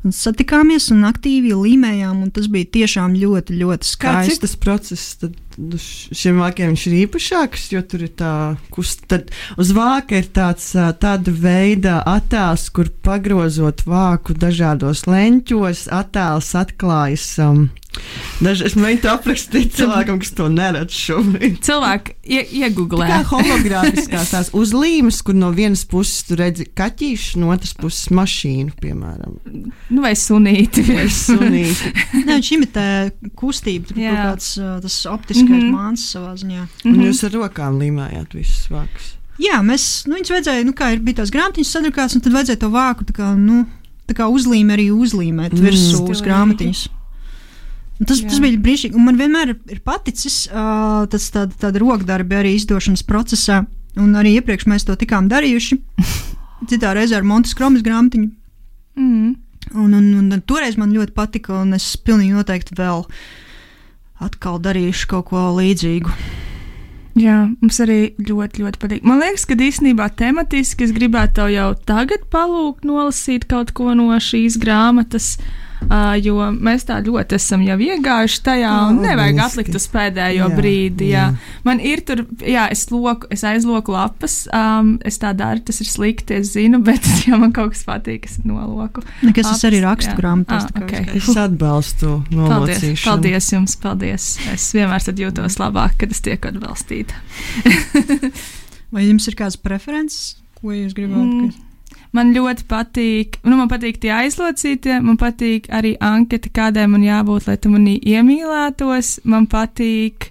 un satikāmies un aktīvi līmējām, un tas bija tiešām ļoti, ļoti skaisti. Kāds ir tas process? Tad šiem vākiem viņš ir īpašāks, jo tur ir tā kust, tad uz vāka ir tāds tāda veida attēls, kur pagrozot vāku dažādos leņķos, attēls atklājas um, Daži, es mēģinu aprakstīt cilvēkam, kas to neredz šobrīd. Cilvēki ie, iegooglē. Kā hologrāfiskās tās uzlīmes, kur no vienas puses tu redzi kaķīšu, no otras puses mašīnu, piemēram. Nu, vai sunīti. Vai sunīti. Nē, viņš imitē kustību, tur kaut kāds tas optiskais mm -hmm. māns savā ziņā. Un jūs ar rokām līmējāt visus vākus. Jā, mēs, nu, viņus vajadzēja, nu, kā ir bija tās grāmatiņas sadrukāts, un tad vajadzēja to vāku, tā kā, nu, tā kā uzlīme arī uzlīmēt mm. virsū uz grāmatiņas. Tas, tas bija brīnišķīgi, un man vienmēr ir paticis uh, tas tāda, tāda rokdarbi arī izdošanas procesā, un arī iepriekš mēs to tikām darījuši, citā reizē ar Montes Kromas grāmatiņu. Mm. Un, un, un, un toreiz man ļoti patika, un es pilnīgi noteikti vēl atkal darīšu kaut ko līdzīgu. Jā, mums arī ļoti, ļoti patīk. Man liekas, ka īstenībā tematiski es gribētu tev jau tagad palūgt nolasīt kaut ko no šīs grāmatas, Uh, jo mēs tā ļoti esam jau iegājuši tajā, un nevajag atlikt uz pēdējo jā, brīdi. Jā. Jā. Man ir tur, jā, es, loku, es aizloku lapas, um, es tā daru, tas ir slikti, es zinu, bet ja man kaut kas patīk, es noloku. Nekas es arī rakstu grāmatās. Ah, okay. Es atbalstu nolocīšanu. Paldies, paldies jums, paldies. Es vienmēr tad jūtos labāk, kad es tieku atbalstīta. Vai jums ir kāds preferences, ko jūs gribētu? Mm. Man ļoti patīk, nu, man patīk tie aizlocītie, man patīk arī anketa, kādai man jābūt, lai tu manī iemīlētos. Man patīk,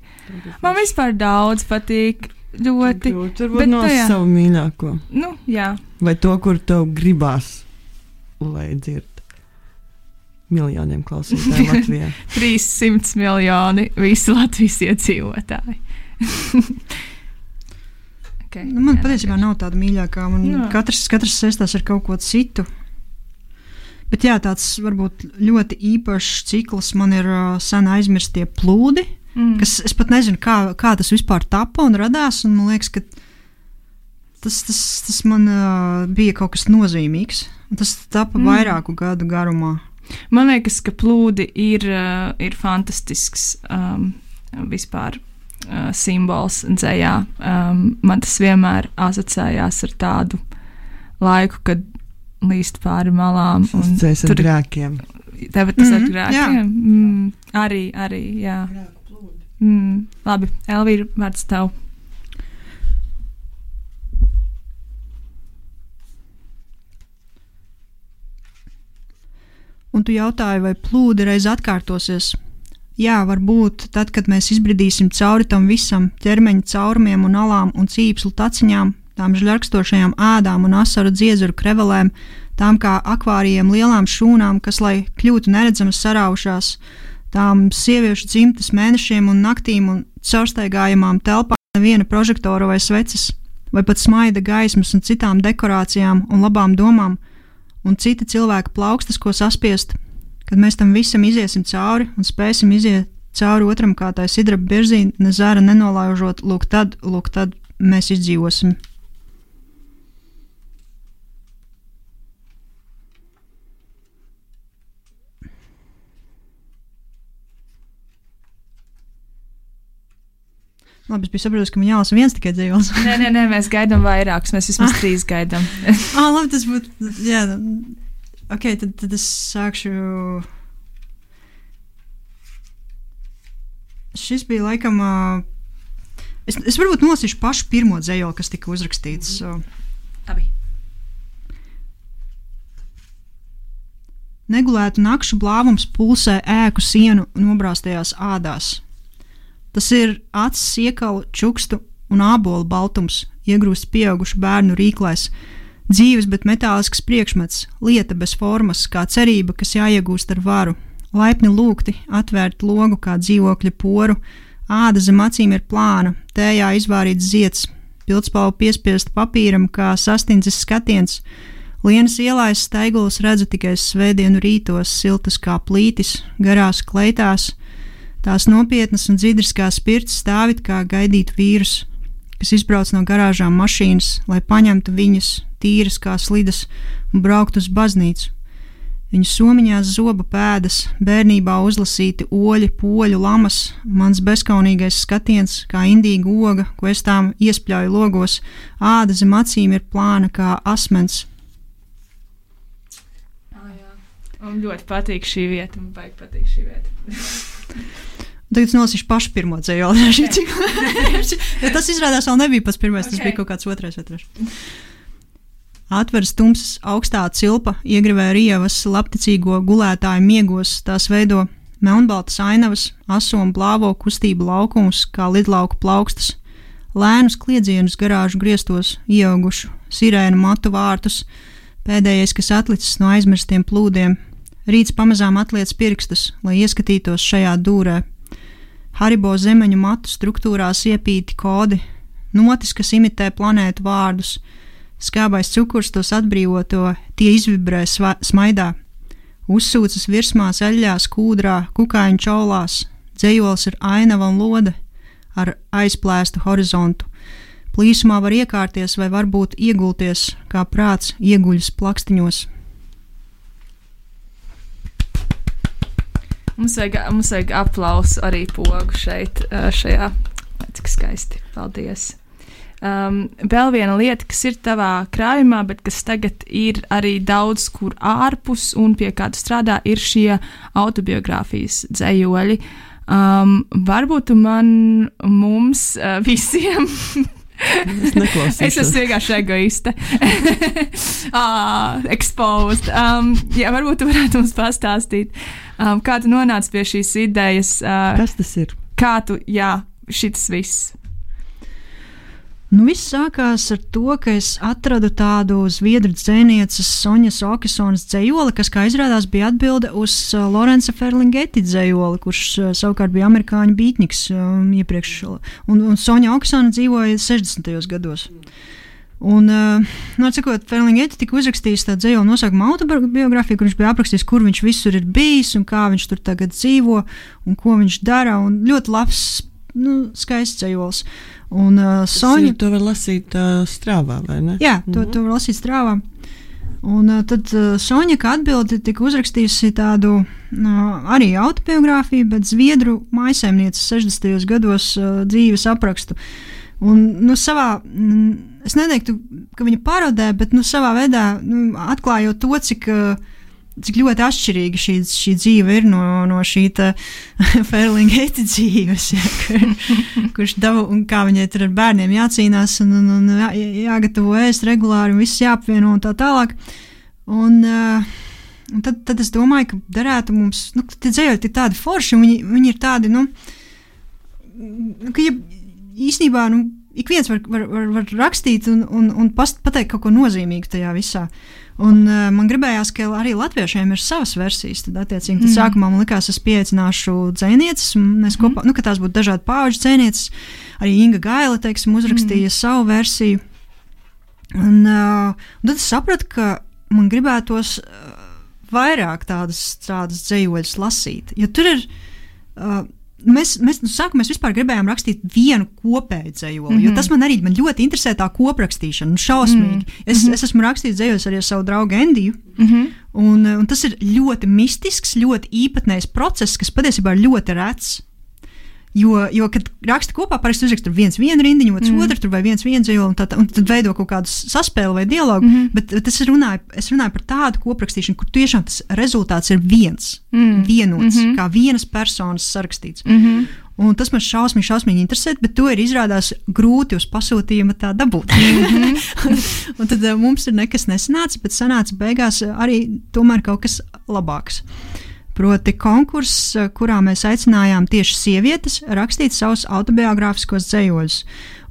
man vispār daudz patīk, ļoti. Tur var no savu mīļāko. Nu, jā. Vai to, kur tev gribās, lai dzird miljoniem klausītāju Latvijā. trīssimti miljoni visi Latvijas iedzīvotāji. Okay. Nu, man jā, patiesībā nav tāda mīļākā. Man jā. katrs, katrs saistās ar kaut ko citu. Bet jā, tāds varbūt ļoti īpašs cikls man ir uh, sen aizmirstie plūdi, mm. kas es pat nezinu, kā, kā tas vispār tapa un radās. Un man liekas, ka tas, tas, tas man uh, bija kaut kas nozīmīgs. Un tas tapa mm. vairāku gadu garumā. Man liekas, ka plūdi ir, uh, ir fantastisks um, vispār. Uh, simbols dzējā. Um, man tas vienmēr asociējās ar tādu laiku, kad līst pāri malām. Tas dzēs ar grēkiem. Tev tas mm, ar grēkiem? Mm, arī, arī, jā. Mm, labi, Elvīra, vārds tev. Un tu jautāji, vai plūdi reiz atkārtosies? Jā, varbūt tad, kad mēs izbridīsim cauri tam visam, ķermeņa caurumiem un alām un cīpslu taciņām, tām žļarkstošajām ādām un asaru dziedzuru krevelēm, tām kā akvārijiem lielām šūnām, kas, lai kļūtu neredzamas, saraušās, tām sieviešu dzimtas mēnešiem un naktīm un caurstaigājamām telpām neviena prožektora vai sveces, vai pat smaida gaismas un citām dekorācijām un labām domām, un citi cilvēki plaukstas, ko saspiest, kad mēs tam visam iziesim cauri un spēsim iziet cauri otram kā tai sidraba biržī, ne zara nenolaužot, lūk tad, lūk tad mēs izdzīvosim. Labi, es biju saprotis, ka man jālasa viens tikai dzīvos. nē, nē, nē, mēs gaidām vairākus, mēs vismaz ah. trīs gaidām. ah, labi, tas būtu, jā, ok, tad, tad es sākšu. Šis bija laikam uh, Es, es varbūt nolasīšu pašu pirmo dzējoli, kas tika uzrakstīts. Mm-hmm. Labi. Negulētu nakšu blāvums pulsē ēku sienu nobrāstajās ādās. Tas ir acis iekalu, čukstu un ābolu baltums, iegrūst pieaugušu bērnu rīklēs, dzīves, bet metālisks priekšmets, lieta bez formas, kā cerība, kas jāiegūst ar varu, laipni lūgti, atvērt logu kā dzīvokļa poru, āda zem acīm ir plāna, tējā izvārīts zieds, pildspalvu piespiest papīram kā sastindzis skatiens, lienas ielājas steigulas redzu tikai svētdienu rītos, siltas kā plītis, garās kleitās, tās nopietnas un dzidras kā spirts stāvit kā gaidīt vīrus, kas izbrauc no garāžām mašīnas, lai paņemtu viņas, tīras kā slidas, un braukt uz baznīcu. Viņu somiņās zoba pēdas, bērnībā uzlasīti oļi, poļu lamas, mans bezkaunīgais skatiens, kā indīga oga, ko es tām iespļauju logos, āda zem acīm ir plāna kā asmens. Oh, jā. Man ļoti patīk šī vieta, man baigi patīk šī vieta. Tagad es nolasīšu pašu pirmo dzējoli. Ja tas izrādās vēl nebija pats pirmais, okay. Tas bija kaut kāds otrais vai trešais. Atveras tumsas augstā cilpa, iegrivē rievas labticīgo gulētāju miegos, tās veido melnbaltas ainavas, aso un blāvo kustību laukumus, kā lidlauku plaukstas, lēnus kliedzienus garāžu griestos, ieaugušu, sirēnu matu vārtus, pēdējais, kas atlicis no aizmirstiem plūdiem, rīts pamazām atliec pirkstus, lai ieskatītos šajā dūrē. Haribo zemeņu matu struktūrās iepīti kodi, notis, kas imitē planētu vārdus, skābais cukurs tos atbrīvoto, tie izvibrē sva, smaidā. Uzsūcas virsmās eļļās, kūdrā, kukaiņu čaulās, dzejols ir ainava un lode ar aizplēstu horizontu. Plīsumā var iekārties vai varbūt iegulties, kā prāts ieguļas plakstiņos. Mums vajag, mums vajag aplausu arī pogu šeit, šajā. Cik skaisti. Paldies. Um, vēl viena lieta, kas ir tavā krājumā, bet kas tagad ir arī daudz kur ārpus un pie kāda strādā, ir šie autobiogrāfijas dzējoļi. Um, varbūt tu man, mums, uh, visiem... Es neklausīšu. Es esmu vienkārši egoiste. ah, exposed. Um, jā, varbūt tu varētu mums pastāstīt, um, kā tu nonāci pie šīs idejas. Uh, Kas tas ir? Kā tu, jā, šitas viss. Nu, viss sākās ar to, ka es atradu tādu zviedru dzejnieces Soņas Okesonas dzejoli, kas, kā izrādās, bija atbilde uz uh, Lorenza Ferlinghetti dzejoli, kurš uh, savukārt bija amerikāņu bītniks um, iepriekš. Un, un Soņa Okesona dzīvoja sešdesmitajos gados. Un, uh, nu, cikot, Ferlinghetti tika uzrakstījis tā dzejoli nosaukumu autobiogrāfiju, kur viņš bija aprakstījis, kur viņš visur ir bijis un kā viņš tur tagad dzīvo un ko viņš dara. Un ļoti labs, nu, skaists dzejols. Un uh, Soņa... To var lasīt uh, strāvā, vai ne? Jā, to, mm-hmm. to var lasīt strāvā. Un uh, tad uh, Soņa, kā atbildi, tika uzrakstījusi tādu uh, arī autobiogrāfiju, bet zviedru mājsaimnieces sešdesmitajos gados uh, dzīves aprakstu. Un, nu, savā, mm, es neteiktu, ka viņa parodē, bet, nu, savā veidā, nu, atklājot to, cik... Uh, cik ļoti atšķirīga šī, šī dzīve ir no, no šī Ferlinghetti dzīves, ja, kur, kurš dava, un kā viņai tur ar bērniem jācīnās un, un, un jā, jāgatavo ēst regulāri un viss jāapvieno un tā tālāk. Un, uh, un tad, tad es domāju, ka derētu mums, nu, tie dzējoļi ir tādi forši, un viņi, viņi ir tādi, nu, ka ja, īstenībā, nu, ik viens var, var, var, var rakstīt un, un, un past, pateikt kaut ko nozīmīgu tajā visā. Un uh, man gribējās, ka arī latviešiem ir savas versijas, tad attiecīgi, tad mm. sākumā man likās, es pieaicināšu dzejnieces, un mēs kopā, mm. nu, ka tās būtu dažādi pauģu dzejnieces, arī Inga Gaila, teiksim, uzrakstīja mm. savu versiju. Un, uh, un tad es sapratu, ka man gribētos uh, vairāk tādas, tādas dzejoļus lasīt, jo tur ir... Uh, Mēs, mēs, nu, sākumā mēs vispār gribējām rakstīt vienu kopēju dzejoli, mm-hmm. jo tas man arī man ļoti interesē tā koprakstīšana, šausmīgi. Mm-hmm. Es, es esmu rakstījis dzejos arī ar savu draugu Endiju, mm-hmm. un, un tas ir ļoti mistisks, ļoti īpatnējs process, kas patiesībā ir ļoti rets. Jo, jo kad raksta kopā, parasti uzraksta viens vienu rindiņu, otrs mm. otru, tur vai viens viens dzejoli, un, tā, un tad veido kaut kādu saspēli vai dialogu, mm. bet, bet es runāju, es runāju par tādu koprakstīšanu, kur tiešām tas rezultāts ir viens, mm. vienots, mm-hmm. kā vienas personas sarakstīts. Mm-hmm. Un tas man šausmīgi, šausmīgi interesē, bet to ir izrādās grūti uz pasūtījuma tā dabūt. un, un tad uh, mums ir nekas nesanāca, bet sanāca beigās arī tomēr kaut kas labāks. Proti konkurss, kurā mēs aicinājām tieši sievietes rakstīt savus autobiogrāfiskos dzējoļus.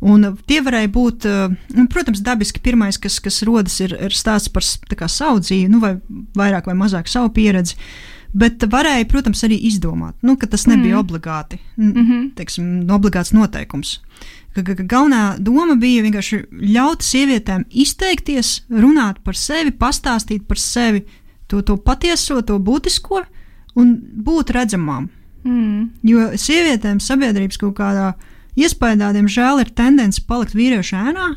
Un tie varēja būt, uh, protams, dabiski pirmais, kas, kas rodas, ir, ir stāsts par tā kā savu dzīvi, nu vai vairāk vai mazāk savu pieredzi. Bet varēja, protams, arī izdomāt, nu, ka tas nebija mm. obligāti, mm-hmm. teiksim, obligāts noteikums. Ka, ka, ka galvenā doma bija vienkārši ļaut sievietēm izteikties, runāt par sevi, pastāstīt par sevi to, to patieso, to būtisko un būt redzamām. Mm. Jo sievietēm sabiedrības kaut kādā iespējā, diemžēl, ir tendence palikt vīriešu ēnā,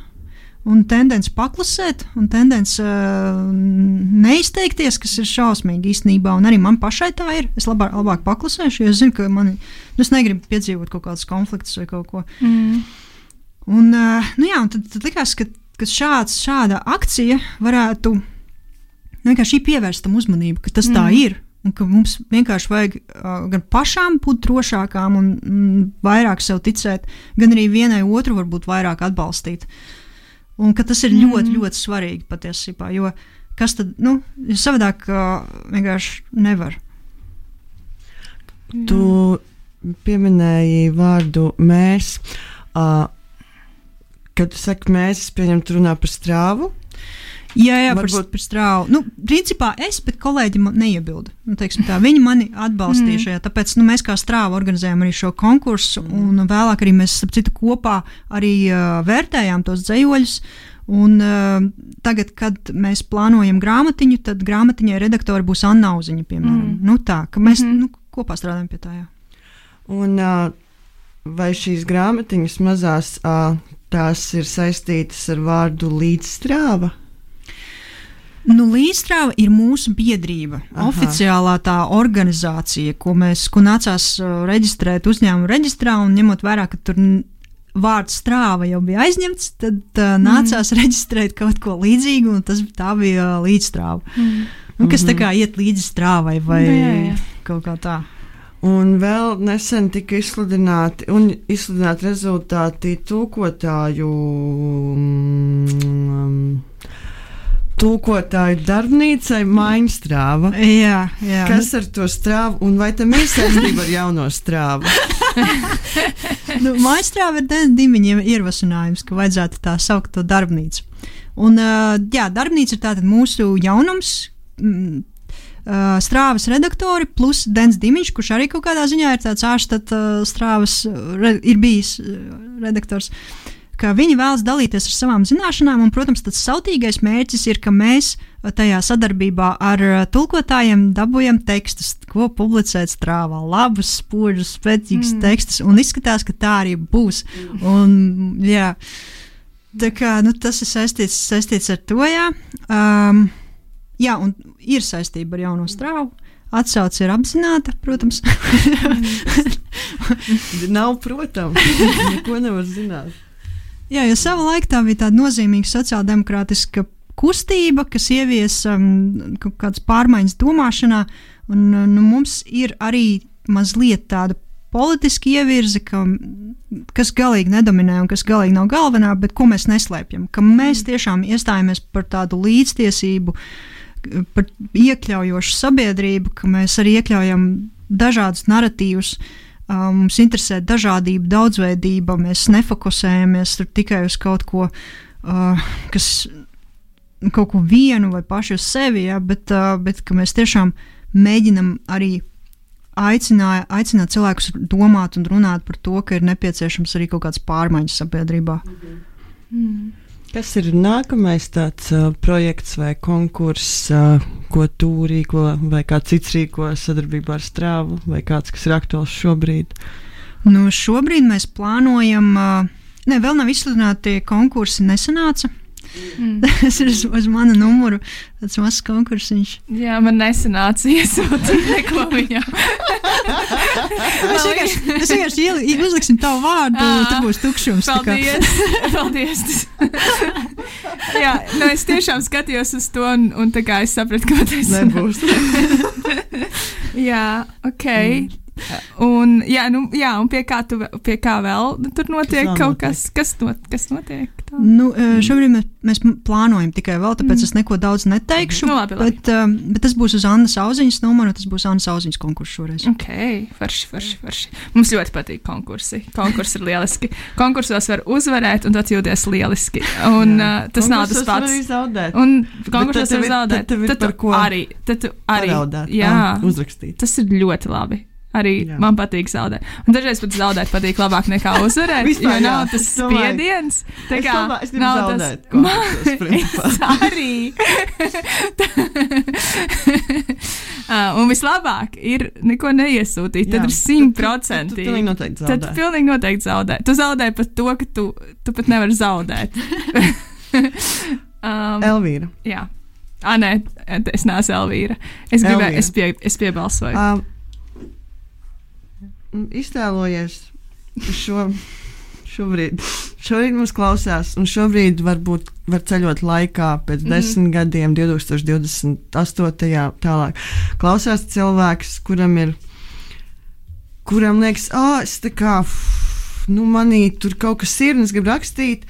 un tendence paklusēt, un tendence uh, neizteikties, kas ir šausmīgi īstenībā, un arī man pašai tā ir. Es labāk, labāk paklusēšu, jo es zinu, ka mani, nu, es negribu piedzīvot kaut kādus konfliktus vai kaut ko. Mm. Un, uh, nu jā, un tad, tad likās, ka, ka šāds, šāda akcija varētu vienkārši pievērst tam uzmanību, ka tas mm. tā ir, un ka mums vienkārši vajag uh, gan pašām būt drošākām un mm, vairāk sev ticēt, gan arī vienai otru varbūt vairāk atbalstīt. Un ka tas ir ļoti, mm. ļoti svarīgi patiesībā, jo kas tad, nu, savādāk uh, vienkārši nevar. Tu pieminēji vārdu mēs. Uh, kad tu saki mēs, es pieņemu, tu runā par strāvu? Jā, jā, Varbūt... par, par strāvu. Nu, principā es, bet kolēģi man neiebilda. Nu, teiksim tā, viņi mani atbalstīja šajā, tāpēc nu, mēs kā strāva organizējam arī šo konkursu, un vēlāk arī mēs, ap citu, kopā arī uh, vērtējām tos dzējoļus. Un uh, tagad, kad mēs plānojam grāmatiņu, tad grāmatiņai redaktori būs Anna Auziņa, piemēram. Mm. Nu tā, ka mēs mm-hmm. nu, kopā strādājam pie tā, jā. Un uh, vai šīs grāmatiņas mazās, uh, tās ir saistītas ar vārdu līdzstrāva? Nu, Līdzstrāva ir mūsu biedrība, Aha. oficiālā tā organizācija, ko mēs, ko nācās uh, reģistrēt uzņēmumu reģistrā, un ņemot vērā, ka tur vārds strāva jau bija aizņemts, tad uh, nācās mm. reģistrēt kaut ko līdzīgu, un tas tā bija uh, līdzstrāva. Mm. Nu, kas mm-hmm. tā kā iet līdzi strāvai vai jā, jā. Kaut kā tā. Un vēl nesen tika izsludināti, un izsludināti rezultāti tulkotāju... Mm, tulkotāju darbnīcai Maiņstrāva. Jā, jā. Kas ar to strāvu, un vai tam ir saistība ar jauno strāvu? nu, Maiņstrāva ir Dens Dimiņiem ierosinājums, ka vajadzētu tā saukt to darbnīcu. Un, uh, jā, darbnīca ir tātad mūsu jaunums, mm, uh, strāvas redaktori plus Dens Dimiņš, kurš arī kaut kādā ziņā ir tāds ārštat uh, strāvas, re, ir bijis uh, redaktors. Ka viņi vēlas dalīties ar savām zināšanām, un, protams, tas sautīgais mērķis ir, ka mēs tajā sadarbībā ar tulkotājiem dabūjam tekstus, ko publicēt strāvā, labus, spožus, spēcīgus mm. tekstus, un izskatās, ka tā arī būs. Un, jā, tā kā, nu, tas ir saistīts, saistīts ar to, jā. Um, jā, un ir saistība ar jauno strāvu. Atsauce ir apzināta, protams. Nav, protams, neko nevar zināt. Jā, jo savā laikā tā bija tāda nozīmīga sociāldemokrātiska kustība, kas ievies um, kaut kādas pārmaiņas domāšanā, un nu, mums ir arī mazliet tāda politiska ievirze, ka, kas galīgi nedominē un kas galīgi nav galvenā, bet ko mēs neslēpjam, ka mēs tiešām iestājamies par tādu līdztiesību, par iekļaujošu sabiedrību, ka mēs arī iekļaujam dažādus naratīvus. Uh, mums interesē dažādība, daudzveidība, mēs nefokusējamies tikai uz kaut ko, uh, kas, kaut ko vienu vai pašu uz sevi, ja, bet, uh, bet ka mēs tiešām mēģinam arī aicināt, aicināt cilvēkus domāt un runāt par to, ka ir nepieciešams arī kaut kāds pārmaiņas sabiedrībā. Mm-hmm. Mm. Kas ir nākamais tāds uh, projekts vai konkurss, uh, ko tu rīko vai kāds cits rīko sadarbībā ar Strāvu vai kāds, kas ir aktuāls šobrīd? Nu, šobrīd mēs plānojam, uh, ne, vēl nav izsludināti konkursi, nesanāca. Mm. Tas ir uz, uz mana numuru, tāds mazs konkursiņš. Jā, man nesanāca iesūtīt neko viņam. Mēs vienkārši, mēs vienkārši ieli, uzliksim tavu vārdu, un tur būs tukšums. Paldies, paldies. Jā, nu es tiešām skatījos uz to, un, un tā kā es sapratu, ka tas nebūs. Jā, ok. Mm. un, jā, nu, jā, un pie kā, tu, pie kā vēl tur notiek Kas vēl kaut notiek? kas, kas, not, kas notiek? Tā? Nu, uh, šobrīd mēs, mēs plānojam tikai vēl, tāpēc Mm. es neko daudz neteikšu. Nu, labi, labi. Bet, um, bet tas būs uz Annas Auziņas numuru, tas būs Annas Auziņas konkurss šoreiz. Ok, forši, forši, forši. Mums ļoti patīk konkursi. Konkursi ir lieliski. Konkursos var uzvarēt, un tad jūties lieliski. Un uh, tas nav tas Konkursos var pats. arī zaudēt. Un tad konkursos tev var ir- zaudēt. tad tev ir Tad tu par ko arī, tad tu arī. Paraudāt, Jā, ah, uzrakstīt. tas ir ļoti labi. Arī Jā. man patīk zaudēt. Un dažreiz pat zaudēt patīk labāk nekā uzvarēt. Vispār, jo nav jā, tas es domāju- spiediens. Tā Es kā domāju, es gribu nav zaudēt tas. konkursos, principā. Es arī. uh, un vislabāk ir neko neiesūtīt. Tad Jā. ir simt procenti. Tu- tu- tu pilnīgi noteikti Tad zaudē. pilnīgi noteikti zaudē. Tu zaudē pat to, ka tu, tu pat nevari zaudēt. um, Elvīra. jā. Ah, nē, es neesmu Elvīra. Es gribēju, Elvīra. es, pie, es piebalsoju. Um, iztēlojies šo, šobrīd. Šobrīd mums klausās, un šobrīd varbūt var ceļot laikā pēc Mhm. desmit gadiem, divtūkstoš divdesmit astotajā tālāk. Klausās cilvēks, kuram ir, kuram liekas, ah, es tā kā, f, nu, manī tur kaut kas ir, un es gribu rakstīt.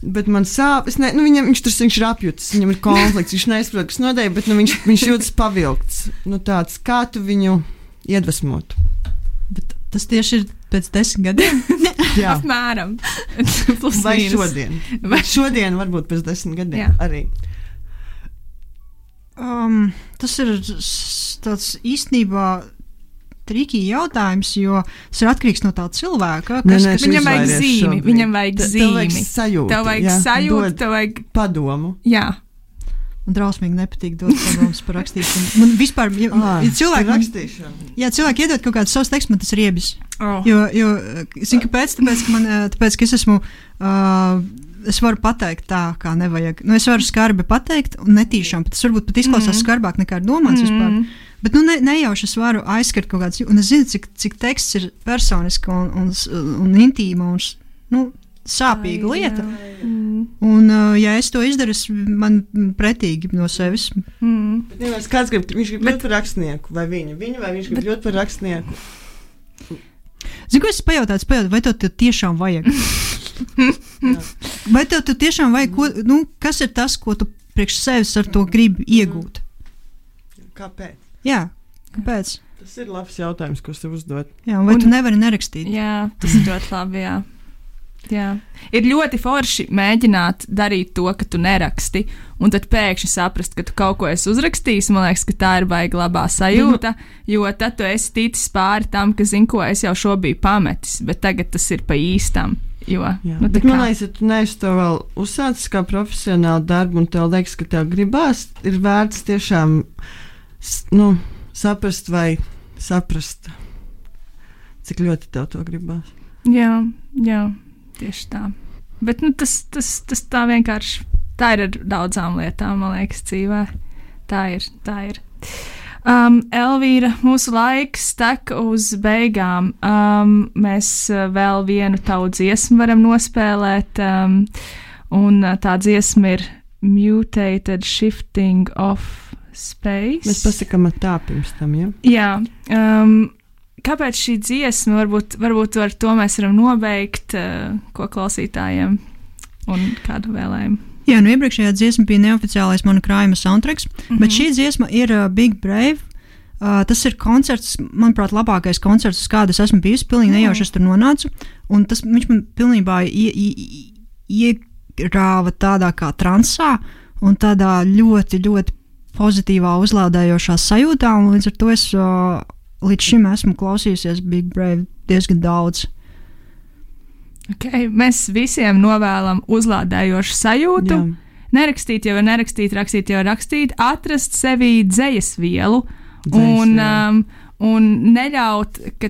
Bet man sāp, es ne, nu viņam, viņš tur viņš ir apjutis, viņam ir konflikts, viņš neizprot, kas notiek, bet nu, viņš, viņš jūtas pavilkts. Nu, tāds, kā tu viņu iedvesmotu? Bet tas tieši ir pēc desmit gadiem. Jā, Apmēram. Plus vai mīnus. šodien? Vai- Bet šodien varbūt pēc desmit gadiem Jā. arī. Um, tas ir s- tāds īstenībā trikī jautājums, jo tas ir atkarīgs no tā cilvēka. Nē, Kas, nē, kas, tu Viņam vajag izvairies zīmi, šobrīd. viņam vajag Te- Tev vajag zīmi. sajūtu. Tev vajag jā, sajūtu, dod tev vajag. padomu. Jā, man drausmīgi nepatīk dot padomus par rakstīšanu. Man vispār, ja, Ah, ja cilvēki, man, rakstīšana. ja cilvēki iedod kaut kādus savus tekstus, man tas ir riebis. oh. Jo, jo zinu, kāpēc? Tāpēc, ka, man, eh, tāpēc, ka es esmu. Uh, Es varu pateikt tā, kā nevajag. Nu, es varu skarbi pateikt, un netīšām. Tas varbūt pat izklausās Mhm. mm. skarbāk nekā ir domāts mm. vispār. Bet nu, ne, nejauši es varu aizskart kaut kādas. Un es zinu, cik, cik teksts ir personiski un, un, un intīma un nu, sāpīga Ai, lieta. jā. Mm. Un, uh, ja es to izdaru, es man pretīgi no sevis. Mm. Bet, ja kāds grib, viņš grib kļūt par rakstnieku, vai viņa, viņa vai viņš grib kļūt par rakstnieku? Zinu, ko es pajautāju, pajautāju, vai tev, tev tiešām vajag? Vai tev, tev tiešām vajag, ko, nu, kas ir tas, ko tu priekš sevis ar to gribi iegūt? Kāpēc? Jā, kāpēc? Tas ir labs jautājums, ko es tev uzdot. Jā, vai Un- un, tu nevari nerakstīt? Jā, tas ir ļoti labi. Jā. Jā. Ir ļoti forši mēģināt darīt to, ka tu neraksti, un tad pēkšņi saprast, ka tu kaut ko esi uzrakstījis. Man liekas, ka tā ir baigta labā sajūta, jo tad tu esi ticis pāri tam, ka, zini, ko es jau šo biju pametis, bet tagad tas ir pa īstam. Jo, Jā, nu, tā bet kā- man liekas, ja tu neesi to vēl uzsācis kā profesionālu darbu, un tev liekas, ka tev gribās, ir vērts tiešām s- nu, saprast vai saprast, cik ļoti tev to gribās. Jā, jā, tieši tā. Bet nu, tas, tas, tas tā vienkārši tā ir ar daudzām lietām, man liekas, dzīvē. Tā ir. Tā ir. Um, Elvīra, mūsu laiks tek uz beigām. Um, mēs uh, vēl vienu tavu dziesmu varam nospēlēt, um, un uh, tā dziesma ir Mutated Shifting of Space. Mēs pasakām ar tā pirms tam, ja? Jā, um, kāpēc šī dziesma, varbūt, varbūt ar to mēs varam nobeigt, uh, ko klausītājiem un kādu vēlējumu. Jā, nu iepriekšējā dziesma bija neoficiālais mana krājuma soundtracks, mm Mhm. -hmm. bet šī dziesma ir uh, Big Brave. Uh, tas ir koncerts, manuprāt, labākais koncerts, uz kādu es esmu bijusi. Pilnīgi nejauši es tur nonācu. Un tas viņš man pilnībā ie, ie, iegrāva tādā kā transā un tādā ļoti, ļoti pozitīvā, uzlādējošā sajūtā. Un līdz ar to es uh, līdz šim esmu klausījusies Big Brave diezgan daudz. Okay, mēs visiem novēlam uzlādējošu sajūtu. Jā. Nerakstīt jau ir nerakstīt, rakstīt jau ir rakstīt, atrast sevī dzējas vielu Dzejas un, vielu. um, un neļaut, ka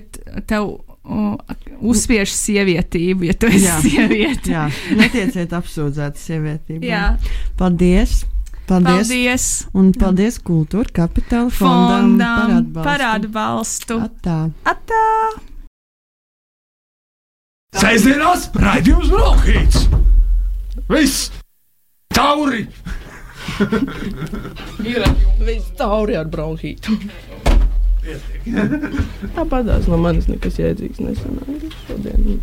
tev uh, uzspiež sievietību, ja tu esi Jā. sieviete. Jā, netieciet apsūdzēti sievietībā. Jā. Paldies! Paldies! Paldies! Un paldies Kultūra Kapitāla fondam, Fondam par par atbalstu. atbalstu. Atā. Atā! Sēžamās raidījums Brokhīts! Viss! Tauri! Ir viss tauri ar bronhītu. Tāpatās no manis nekas jēdzīgs nesanāk šodien.